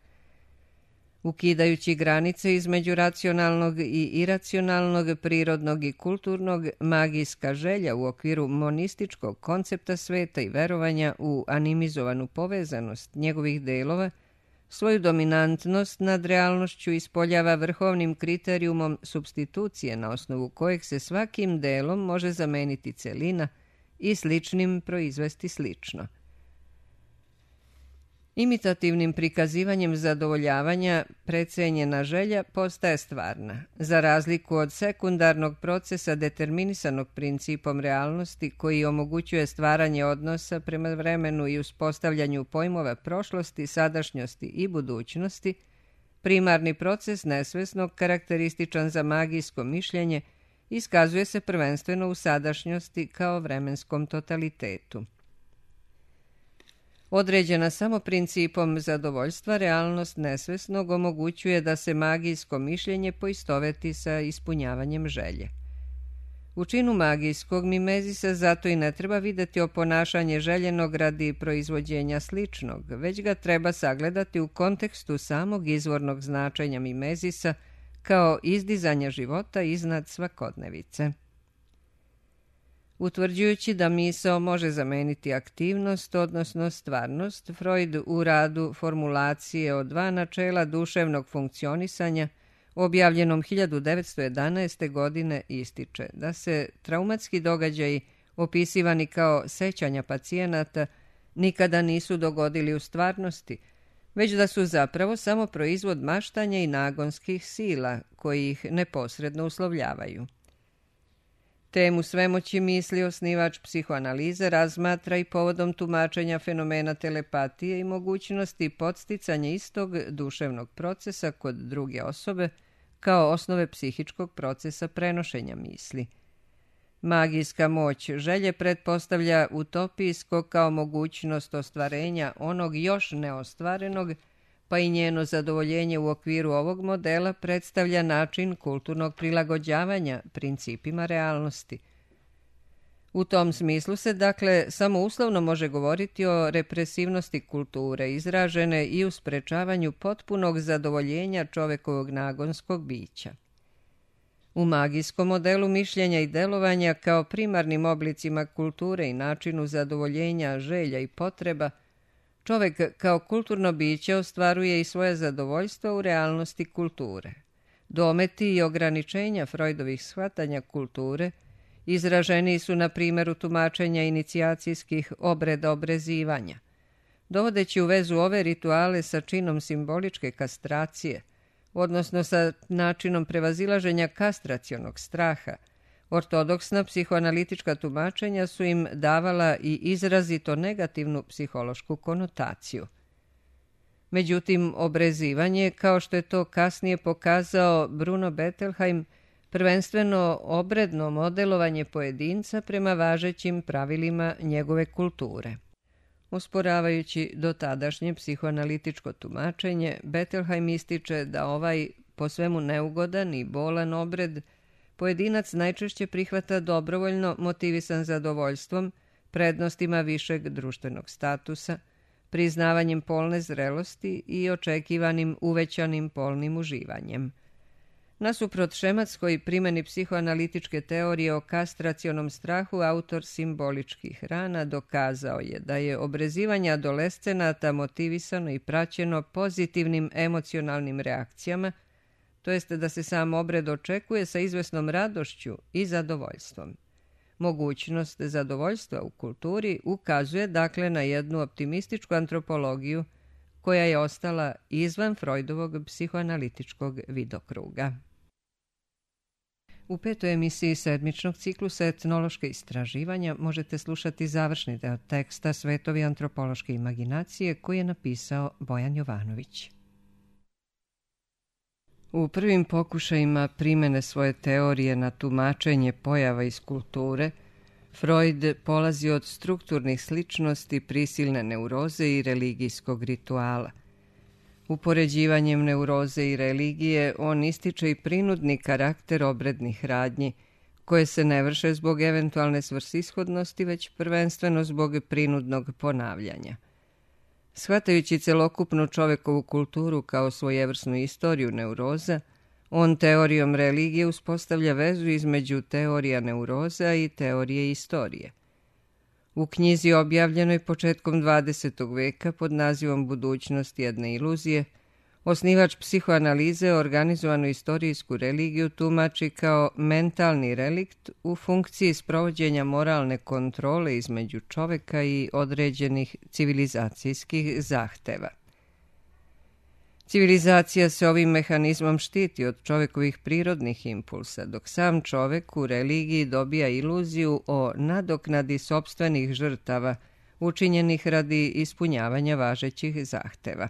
Ukidajući granice između racionalnog i iracionalnog, prirodnog i kulturnog, magijska želja u okviru monističkog koncepta sveta i verovanja u animizovanu povezanost njegovih delova svoju dominantnost nad realnošću ispoljava vrhovnim kriterijumom supstitucije na osnovu kojeg se svakim delom može zameniti celina i sličnim proizvesti slično. Imitativnim prikazivanjem zadovoljavanja precenjena želja postaje stvarna, za razliku od sekundarnog procesa determinisanog principom realnosti koji omogućuje stvaranje odnosa prema vremenu i uspostavljanju pojmova prošlosti, sadašnjosti i budućnosti. Primarni proces nesvesnog, karakterističan za magijsko mišljenje, iskazuje se prvenstveno u sadašnjosti kao vremenskom totalitetu. Određena samo principom zadovoljstva, realnost nesvesnog omogućuje da se magijsko mišljenje poistoveti sa ispunjavanjem želje. U činu magijskog mimezisa zato i ne treba videti oponašanje željenog radi proizvođenja sličnog, već ga treba sagledati u kontekstu samog izvornog značenja mimezisa kao izdizanja života iznad svakodnevice. Utvrđujući da misao može zameniti aktivnost, odnosno stvarnost, Freud u radu formulacije o dva načela duševnog funkcionisanja, objavljenom hiljadu devetsto jedanaeste. godine, ističe da se traumatski događaji, opisivani kao sećanja pacijenata, nikada nisu dogodili u stvarnosti, već da su zapravo samo proizvod maštanja i nagonskih sila koji ih neposredno uslovljavaju. Temu svemoći misli osnivač psihoanalize razmatra i povodom tumačenja fenomena telepatije i mogućnosti podsticanja istog duševnog procesa kod druge osobe kao osnove psihičkog procesa prenošenja misli. Magijska moć želje pretpostavlja utopijsko kao mogućnost ostvarenja onog još neostvarenog, pa i njeno zadovoljenje u okviru ovog modela predstavlja način kulturnog prilagođavanja principima realnosti. U tom smislu se, dakle, samo uslovno može govoriti o represivnosti kulture, izražene i u sprečavanju potpunog zadovoljenja čovekovog nagonskog bića. U magijskom modelu mišljenja i delovanja kao primarnim oblicima kulture i načinu zadovoljenja želja i potreba, čovek kao kulturno biće ostvaruje i svoje zadovoljstvo u realnosti kulture. Dometi i ograničenja Freudovih shvatanja kulture izraženi su na primjeru tumačenja inicijacijskih obreda obrezivanja. Dovodeći u vezu ove rituale sa činom simboličke kastracije, odnosno sa načinom prevazilaženja kastracionog straha, ortodoksna psihoanalitička tumačenja su im davala i izrazito negativnu psihološku konotaciju. Međutim, obrezivanje, kao što je to kasnije pokazao Bruno Bettelheim, prvenstveno obredno modelovanje pojedinca prema važećim pravilima njegove kulture. Usporavajući dotadašnje psihoanalitičko tumačenje, Bettelheim ističe da ovaj po svemu neugodan i bolan obred pojedinac najčešće prihvata dobrovoljno motivisan zadovoljstvom, prednostima višeg društvenog statusa, priznavanjem polne zrelosti i očekivanim uvećanim polnim uživanjem. Nasuprot šematskoj primjeni psihoanalitičke teorije o kastracionom strahu, autor simboličkih rana dokazao je da je obrezivanje adolescenata motivisano i praćeno pozitivnim emocionalnim reakcijama, to jest da se sam obred očekuje sa izvesnom radošću i zadovoljstvom. Mogućnost zadovoljstva u kulturi ukazuje dakle na jednu optimističku antropologiju koja je ostala izvan Freudovog psihoanalitičkog vidokruga. U petoj emisiji sedmičnog ciklusa Etnološke istraživanja možete slušati završni deo teksta Svetovi antropološke imaginacije koji je napisao Bojan Jovanović. U prvim pokušajima primene svoje teorije na tumačenje pojava iz kulture, Freud polazi od strukturnih sličnosti prisilne neuroze i religijskog rituala. Upoređivanjem neuroze i religije on ističe i prinudni karakter obrednih radnji, koje se ne vrše zbog eventualne svrsishodnosti, već prvenstveno zbog prinudnog ponavljanja. Shvatajući celokupnu čovekovu kulturu kao svojevrsnu istoriju neuroza, on teorijom religije uspostavlja vezu između teorija neuroza i teorije istorije. U knjizi objavljenoj početkom dvadesetog veka pod nazivom Budućnost jedne iluzije, osnivač psihoanalize organizovanu istorijsku religiju tumači kao mentalni relikt u funkciji sprovođenja moralne kontrole između čoveka i određenih civilizacijskih zahteva. Civilizacija se ovim mehanizmom štiti od čovekovih prirodnih impulsa, dok sam čovek u religiji dobija iluziju o nadoknadi sopstvenih žrtava učinjenih radi ispunjavanja važećih zahteva.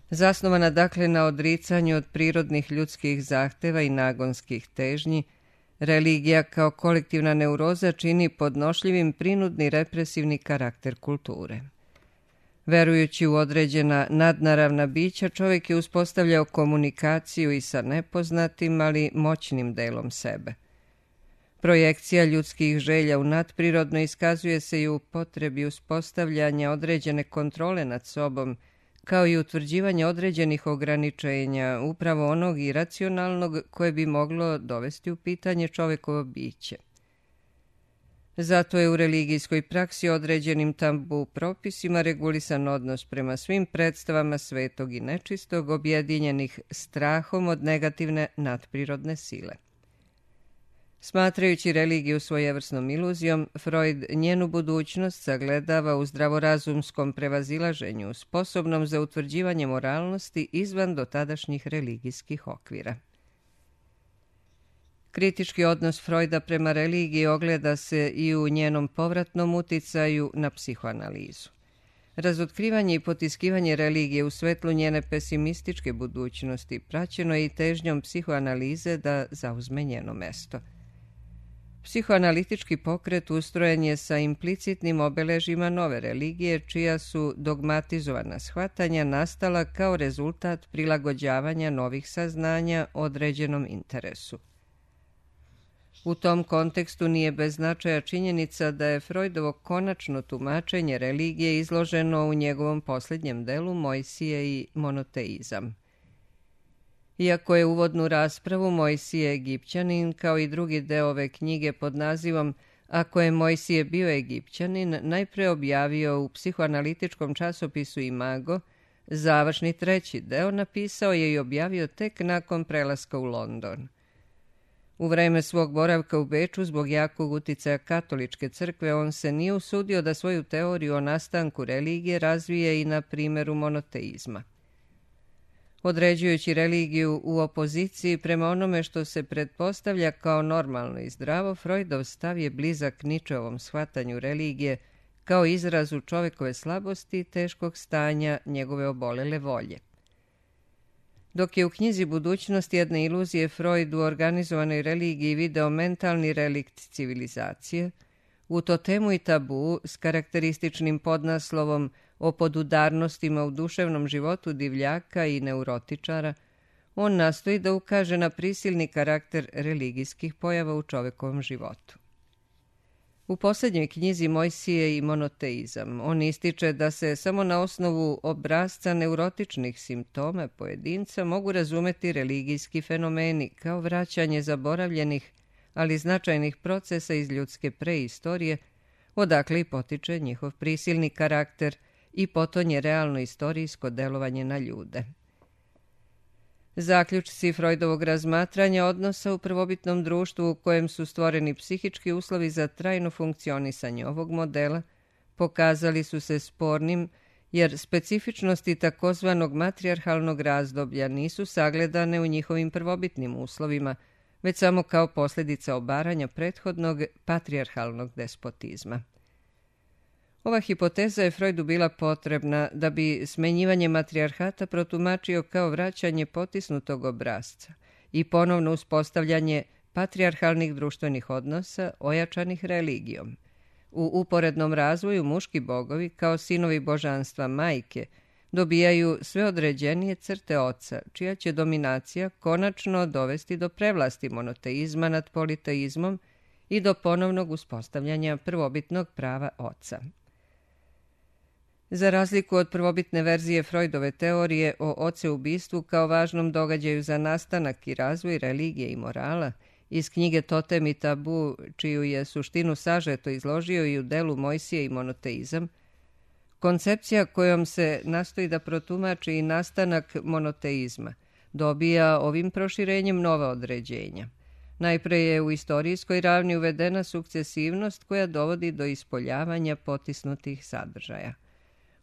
Zasnovana dakle na odricanju od prirodnih ljudskih zahteva i nagonskih težnji, religija kao kolektivna neuroza čini podnošljivim prinudni represivni karakter kulture. Verujući u određena nadnaravna bića, čovjek je uspostavljao komunikaciju i sa nepoznatim, ali moćnim delom sebe. Projekcija ljudskih želja u nadprirodno iskazuje se i u potrebi uspostavljanja određene kontrole nad sobom, kao i utvrđivanje određenih ograničenja, upravo onog iracionalnog koje bi moglo dovesti u pitanje čovekovo biće. Zato je u religijskoj praksi određenim tabu propisima regulisan odnos prema svim predstavama svetog i nečistog, objedinjenih strahom od negativne nadprirodne sile. Smatrajući religiju svojevrsnom iluzijom, Freud njenu budućnost sagledava u zdravorazumskom prevazilaženju, sposobnom za utvrđivanje moralnosti izvan dotadašnjih religijskih okvira. Kritički odnos Freuda prema religiji ogleda se i u njenom povratnom uticaju na psihoanalizu. Razotkrivanje i potiskivanje religije u svetlu njene pesimističke budućnosti praćeno je i težnjom psihoanalize da zauzme njeno mesto. Psihoanalitički pokret ustrojen je sa implicitnim obeležima nove religije, čija su dogmatizovana shvatanja nastala kao rezultat prilagođavanja novih saznanja određenom interesu. U tom kontekstu nije bez značaja činjenica da je Freudovo konačno tumačenje religije izloženo u njegovom posljednjem delu Mojsije i monoteizam. Iako je uvodnu raspravu Mojsije Egipćanin, kao i drugi deo ove knjige pod nazivom Ako je Mojsije bio Egipćanin, najpre objavio u psihoanalitičkom časopisu Imago, završni treći deo napisao je i objavio tek nakon prelaska u London. U vreme svog boravka u Beču, zbog jakog uticaja katoličke crkve, on se nije usudio da svoju teoriju o nastanku religije razvije i na primjeru monoteizma. Određujući religiju u opoziciji prema onome što se pretpostavlja kao normalno i zdravo, Freudov stav je blizak Ničeovom shvatanju religije kao izrazu čovekove slabosti i teškog stanja njegove obolele volje. Dok je u knjizi Budućnost jedne iluzije Freud u organizovanoj religiji video mentalni relikt civilizacije, u Totemu i tabu s karakterističnim podnaslovom o podudarnostima u duševnom životu divljaka i neurotičara, on nastoji da ukaže na prisilni karakter religijskih pojava u čovekovom životu. U posljednjoj knjizi Mojsije i monoteizam on ističe da se samo na osnovu obrasca neurotičnih simptoma pojedinca mogu razumeti religijski fenomeni kao vraćanje zaboravljenih, ali značajnih procesa iz ljudske preistorije, odakle i potiče njihov prisilni karakter i potonje realno istorijsko delovanje na ljude. Zaključci Freudovog razmatranja odnosa u prvobitnom društvu u kojem su stvoreni psihički uslovi za trajno funkcionisanje ovog modela pokazali su se spornim, jer specifičnosti takozvanog matrijarhalnog razdoblja nisu sagledane u njihovim prvobitnim uslovima, već samo kao posljedica obaranja prethodnog patrijarhalnog despotizma. Ova hipoteza je Freudu bila potrebna da bi smenjivanje matrijarhata protumačio kao vraćanje potisnutog obrasca i ponovno uspostavljanje patrijarhalnih društvenih odnosa ojačanih religijom. U uporednom razvoju muški bogovi, kao sinovi božanstva majke, dobijaju sve određenije crte oca, čija će dominacija konačno dovesti do prevlasti monoteizma nad politeizmom i do ponovnog uspostavljanja prvobitnog prava oca. Za razliku od prvobitne verzije Freudove teorije o oceubistvu kao važnom događaju za nastanak i razvoj religije i morala, iz knjige Totem i tabu, čiju je suštinu sažeto izložio i u delu Mojsije i monoteizam, koncepcija kojom se nastoji da protumači i nastanak monoteizma dobija ovim proširenjem nova određenja. Najpre je u istorijskoj ravni uvedena sukcesivnost koja dovodi do ispoljavanja potisnutih sadržaja.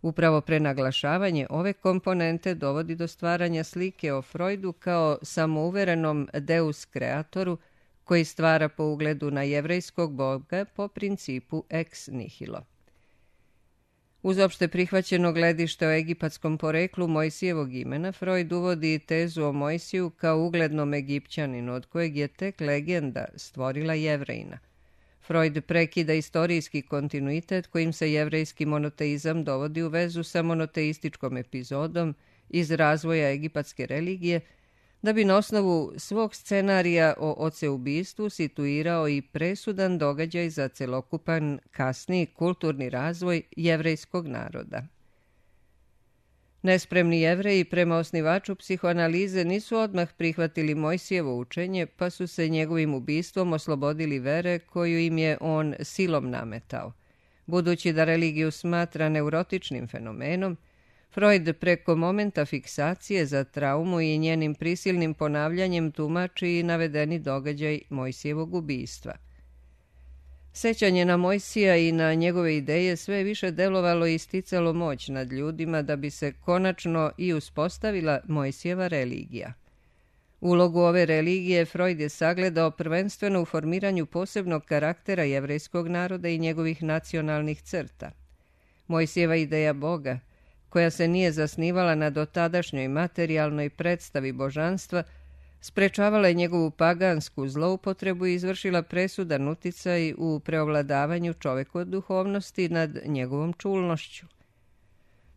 Upravo prenaglašavanje ove komponente dovodi do stvaranja slike o Freudu kao samouverenom deus kreatoru koji stvara po ugledu na jevrejskog boga po principu ex nihilo. Uz opšte prihvaćeno gledište o egipatskom poreklu Mojsijevog imena, Freud uvodi tezu o Mojsiju kao uglednom Egipćaninu, od kojeg je tek legenda stvorila Jevrejina. Freud prekida istorijski kontinuitet kojim se jevrejski monoteizam dovodi u vezu sa monoteističkom epizodom iz razvoja egipatske religije, da bi na osnovu svog scenarija o oceubistvu situirao i presudan događaj za celokupan kasniji kulturni razvoj jevrejskog naroda. Nespremni Jevreji prema osnivaču psihoanalize nisu odmah prihvatili Mojsijevo učenje, pa su se njegovim ubistvom oslobodili vere koju im je on silom nametao. Budući da religiju smatra neurotičnim fenomenom, Freud preko momenta fiksacije za traumu i njenim prisilnim ponavljanjem tumači i navedeni događaj Mojsijevog ubistva. Sećanje na Mojsija i na njegove ideje sve je više delovalo i isticalo moć nad ljudima da bi se konačno i uspostavila Mojsijeva religija. Ulogu ove religije Freud je sagledao prvenstveno u formiranju posebnog karaktera jevrejskog naroda i njegovih nacionalnih crta. Mojsijeva ideja Boga, koja se nije zasnivala na dotadašnjoj materijalnoj predstavi božanstva, sprečavala je njegovu pagansku zloupotrebu i izvršila presudan uticaj u preovladavanju čovekove duhovnosti nad njegovom čulnošću.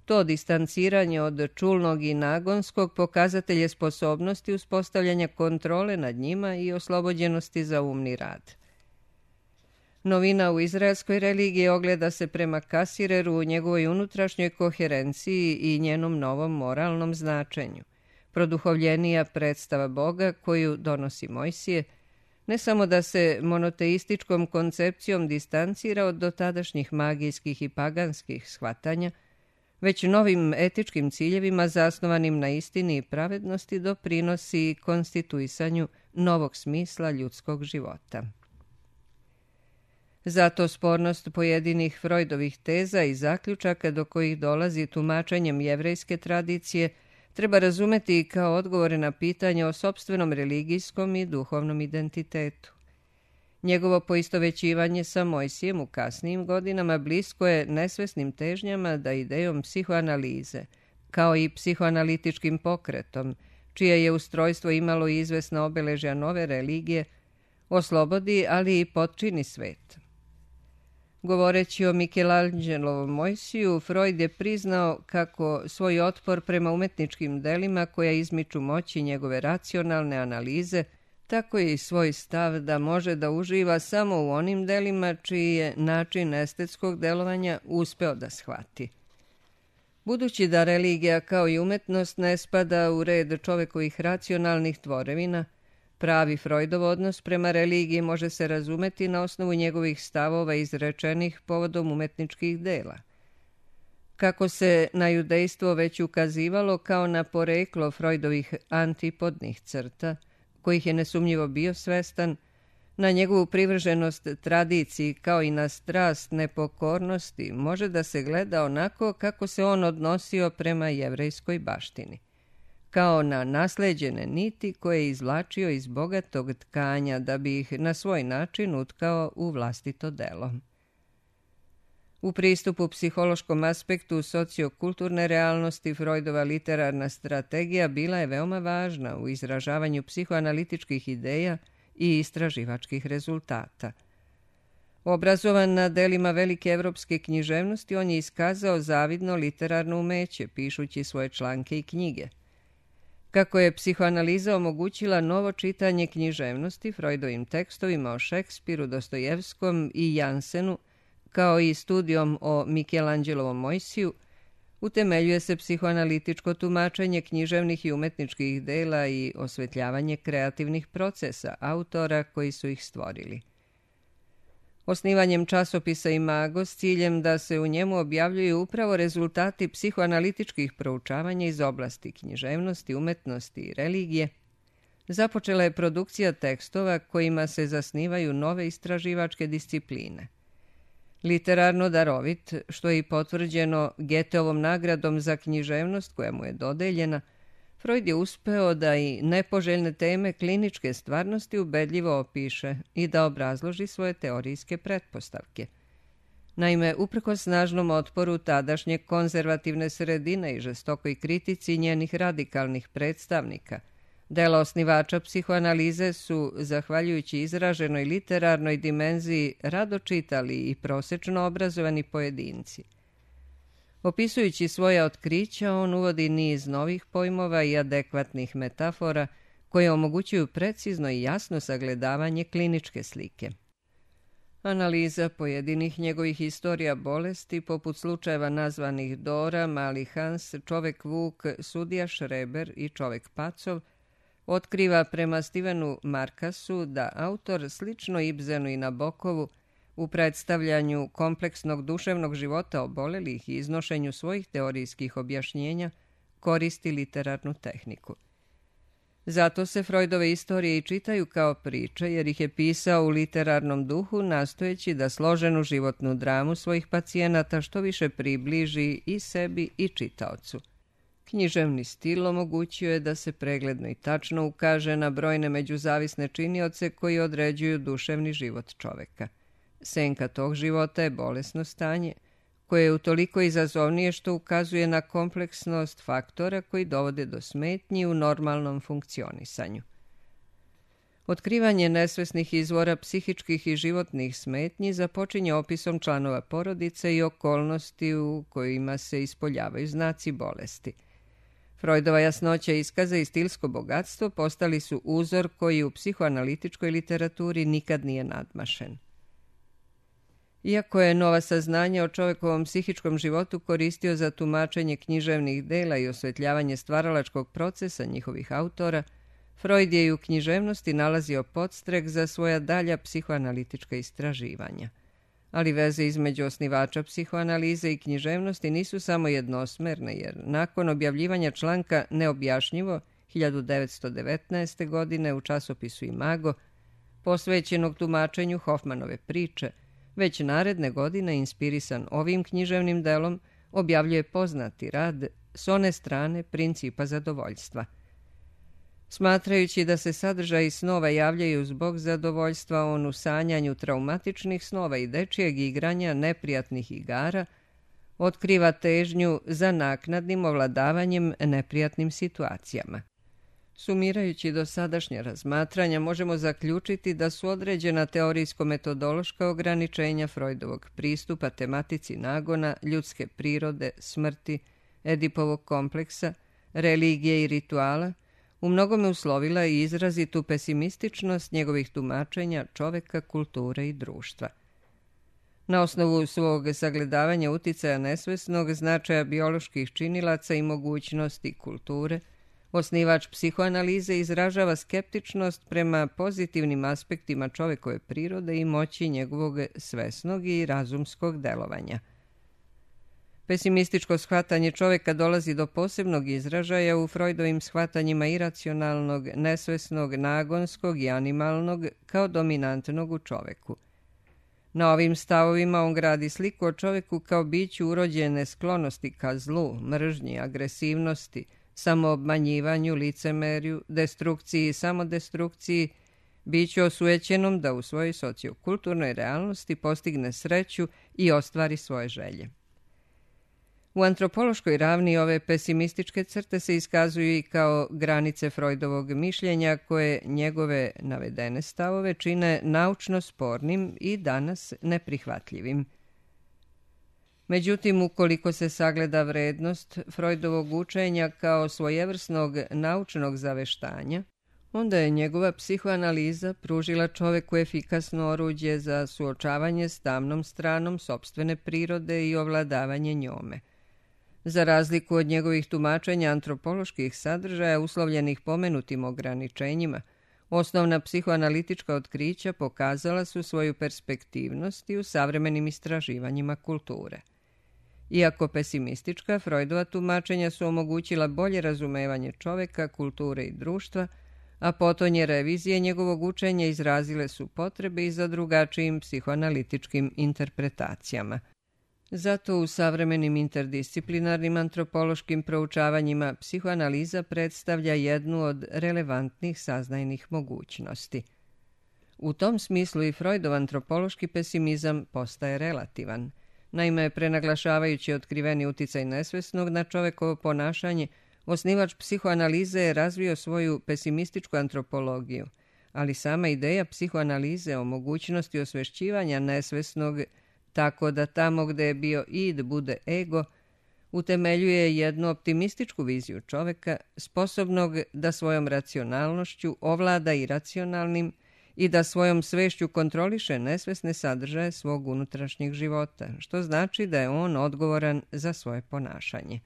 To distanciranje od čulnog i nagonskog pokazatelj je sposobnosti uspostavljanja kontrole nad njima i oslobođenosti za umni rad. Novina u izraelskoj religiji ogleda se prema Kasireru u njegovoj unutrašnjoj koherenciji i njenom novom moralnom značenju. Produhovljenija predstava Boga koju donosi Mojsije, ne samo da se monoteističkom koncepcijom distancira od dotadašnjih magijskih i paganskih shvatanja, već novim etičkim ciljevima zasnovanim na istini i pravednosti doprinosi konstituisanju novog smisla ljudskog života. Zato spornost pojedinih Freudovih teza i zaključaka do kojih dolazi tumačenjem jevrejske tradicije treba razumeti kao odgovore na pitanje o sopstvenom religijskom i duhovnom identitetu. Njegovo poistovećivanje sa Mojsijem u kasnijim godinama blisko je nesvesnim težnjama da idejom psihoanalize, kao i psihoanalitičkim pokretom, čije je ustrojstvo imalo izvesna obeležja nove religije, oslobodi, ali i potčini svet. Govoreći o Michelangelovom Mojsiju, Freud je priznao kako svoj otpor prema umetničkim delima koja izmiču moći njegove racionalne analize, tako je i svoj stav da može da uživa samo u onim delima čiji je način estetskog delovanja uspeo da shvati. Budući da religija kao i umetnost ne spada u red čovekovih racionalnih tvorevina, pravi Freudov odnos prema religiji može se razumeti na osnovu njegovih stavova izrečenih povodom umetničkih dela. Kako se na judejstvo već ukazivalo kao na poreklo Freudovih antipodnih crta, kojih je nesumnjivo bio svestan, na njegovu privrženost tradiciji kao i na strast nepokornosti može da se gleda onako kako se on odnosio prema jevrejskoj baštini, kao na nasleđene niti koje je izvlačio iz bogatog tkanja da bi ih na svoj način utkao u vlastito delo. U pristupu psihološkom aspektu sociokulturne realnosti Freudova literarna strategija bila je veoma važna u izražavanju psihoanalitičkih ideja i istraživačkih rezultata. Obrazovan na delima velike evropske književnosti, on je iskazao zavidno literarno umeće, pišući svoje članke i knjige. Kako je psihoanaliza omogućila novo čitanje književnosti Freudovim tekstovima o Šekspiru, Dostojevskom i Jansenu, kao i studijom o Mikelanđelovom Mojsiju, utemeljuje se psihoanalitičko tumačenje književnih i umetničkih dela i osvetljavanje kreativnih procesa autora koji su ih stvorili. Osnivanjem časopisa Imago s ciljem da se u njemu objavljuju upravo rezultati psihoanalitičkih proučavanja iz oblasti književnosti, umetnosti i religije, započela je produkcija tekstova kojima se zasnivaju nove istraživačke discipline. Literarno darovit, što je i potvrđeno Goetheovom nagradom za književnost koja mu je dodeljena, Freud je uspeo da i nepoželjne teme kliničke stvarnosti ubedljivo opiše i da obrazloži svoje teorijske pretpostavke. Naime, uprkos snažnom otporu tadašnje konzervativne sredine i žestokoj kritici njenih radikalnih predstavnika, dela osnivača psihoanalize su, zahvaljujući izraženoj literarnoj dimenziji, rado čitali i prosečno obrazovani pojedinci. Opisujući svoja otkrića, on uvodi niz novih pojmova i adekvatnih metafora koje omogućuju precizno i jasno sagledavanje kliničke slike. Analiza pojedinih njegovih istorija bolesti, poput slučajeva nazvanih Dora, Mali Hans, Čovek Vuk, Sudija Šreber i Čovek Pacov, otkriva prema Stevenu Markasu da autor, slično Ibsenu i Nabokovu, u predstavljanju kompleksnog duševnog života obolelih i iznošenju svojih teorijskih objašnjenja, koristi literarnu tehniku. Zato se Freudove istorije i čitaju kao priče, jer ih je pisao u literarnom duhu, nastojeći da složenu životnu dramu svojih pacijenata što više približi i sebi i čitaocu. Književni stil omogućio je da se pregledno i tačno ukaže na brojne međuzavisne činioce koji određuju duševni život čoveka. Senka tog života je bolesno stanje, koje je utoliko izazovnije što ukazuje na kompleksnost faktora koji dovode do smetnji u normalnom funkcionisanju. Otkrivanje nesvesnih izvora psihičkih i životnih smetnji započinje opisom članova porodice i okolnosti u kojima se ispoljavaju znaci bolesti. Freudova jasnoća iskaza i stilsko bogatstvo postali su uzor koji u psihoanalitičkoj literaturi nikad nije nadmašen. Iako je nova saznanja o čovekovom psihičkom životu koristio za tumačenje književnih dela i osvetljavanje stvaralačkog procesa njihovih autora, Freud je i u književnosti nalazio podstrek za svoja dalja psihoanalitička istraživanja. Ali veze između osnivača psihoanalize i književnosti nisu samo jednosmerne, jer nakon objavljivanja članka Neobjašnjivo hiljadu devetsto devetnaeste. godine u časopisu Imago, posvećenog tumačenju Hofmanove priče, već naredne godine, inspirisan ovim književnim delom, objavljuje poznati rad S one strane principa zadovoljstva. Smatrajući da se sadržaji snova javljaju zbog zadovoljstva, on u sanjanju traumatičnih snova i dečijeg igranja neprijatnih igara otkriva težnju za naknadnim ovladavanjem neprijatnim situacijama. Sumirajući dosadašnja razmatranja, možemo zaključiti da su određena teorijsko-metodološka ograničenja Freudovog pristupa tematici nagona, ljudske prirode, smrti, Edipovog kompleksa, religije i rituala, u mnogome uslovila i izrazitu pesimističnost njegovih tumačenja čoveka, kulture i društva. Na osnovu svog sagledavanja uticaja nesvesnog, značaja bioloških činilaca i mogućnosti kulture, osnivač psihoanalize izražava skeptičnost prema pozitivnim aspektima čovekove prirode i moći njegovog svesnog i razumskog delovanja. Pesimističko shvatanje čoveka dolazi do posebnog izražaja u Freudovim shvatanjima iracionalnog, nesvesnog, nagonskog i animalnog kao dominantnog u čoveku. Na ovim stavovima on gradi sliku o čoveku kao biću urođene sklonosti ka zlu, mržnji, agresivnosti, samoobmanjivanju, licemerju, destrukciji i samodestrukciji, biću osujećenom da u svojoj sociokulturnoj realnosti postigne sreću i ostvari svoje želje. U antropološkoj ravni ove pesimističke crte se iskazuju i kao granice Freudovog mišljenja koje njegove navedene stavove čine naučno spornim i danas neprihvatljivim. Međutim, ukoliko se sagleda vrednost Freudovog učenja kao svojevrsnog naučnog zaveštanja, onda je njegova psihoanaliza pružila čoveku efikasno oruđe za suočavanje s tamnom stranom sopstvene prirode i ovladavanje njome. Za razliku od njegovih tumačenja antropoloških sadržaja uslovljenih pomenutim ograničenjima, osnovna psihoanalitička otkrića pokazala su svoju perspektivnost i u savremenim istraživanjima kulture. Iako pesimistička, Freudova tumačenja su omogućila bolje razumevanje čoveka, kulture i društva, a potonje revizije njegovog učenja izrazile su potrebe i za drugačijim psihoanalitičkim interpretacijama. Zato u savremenim interdisciplinarnim antropološkim proučavanjima psihoanaliza predstavlja jednu od relevantnih saznajnih mogućnosti. U tom smislu i Freudov antropološki pesimizam postaje relativan. Naime, prenaglašavajući otkriveni uticaj nesvesnog na čovekovo ponašanje, osnivač psihoanalize je razvio svoju pesimističku antropologiju, ali sama ideja psihoanalize o mogućnosti osvešćivanja nesvesnog tako da tamo gde je bio id bude ego, utemeljuje jednu optimističku viziju čoveka, sposobnog da svojom racionalnošću ovlada iracionalnim i da svojom svešću kontroliše nesvesne sadržaje svog unutrašnjeg života, što znači da je on odgovoran za svoje ponašanje.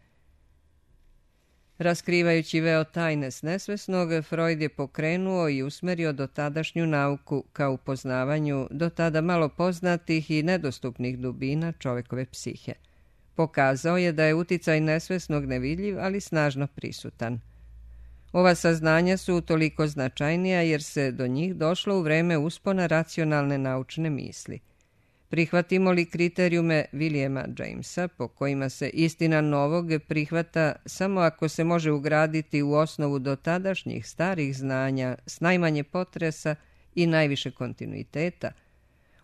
Raskrivajući veo tajne s nesvesnog, Freud je pokrenuo i usmerio dotadašnju nauku ka upoznavanju do tada malo poznatih i nedostupnih dubina čovekove psihe. Pokazao je da je uticaj nesvesnog nevidljiv, ali snažno prisutan. Ova saznanja su toliko značajnija jer se do njih došlo u vreme uspona racionalne naučne misli. Prihvatimo li kriterijume Williama Jamesa, po kojima se istina novog prihvata samo ako se može ugraditi u osnovu dotadašnjih starih znanja s najmanje potresa i najviše kontinuiteta,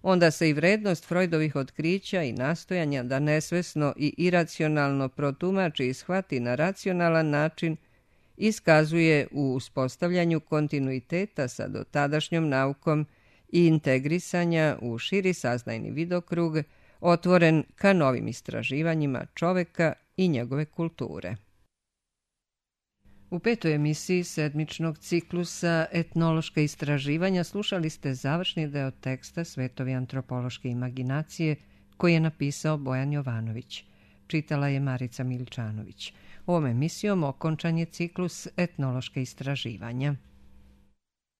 onda se i vrednost Freudovih otkrića i nastojanja da nesvesno i iracionalno protumači i shvati na racionalan način iskazuje u uspostavljanju kontinuiteta sa dotadašnjom naukom i integrisanja u širi saznajni vidokrug, otvoren ka novim istraživanjima čoveka i njegove kulture. U petoj emisiji sedmičnog ciklusa Etnološka istraživanja slušali ste završni deo teksta Svetovi antropološke imaginacije koji je napisao Bojan Jovanović. Čitala je Marica Miličanović. Ovom emisijom okončan je ciklus Etnološke istraživanja.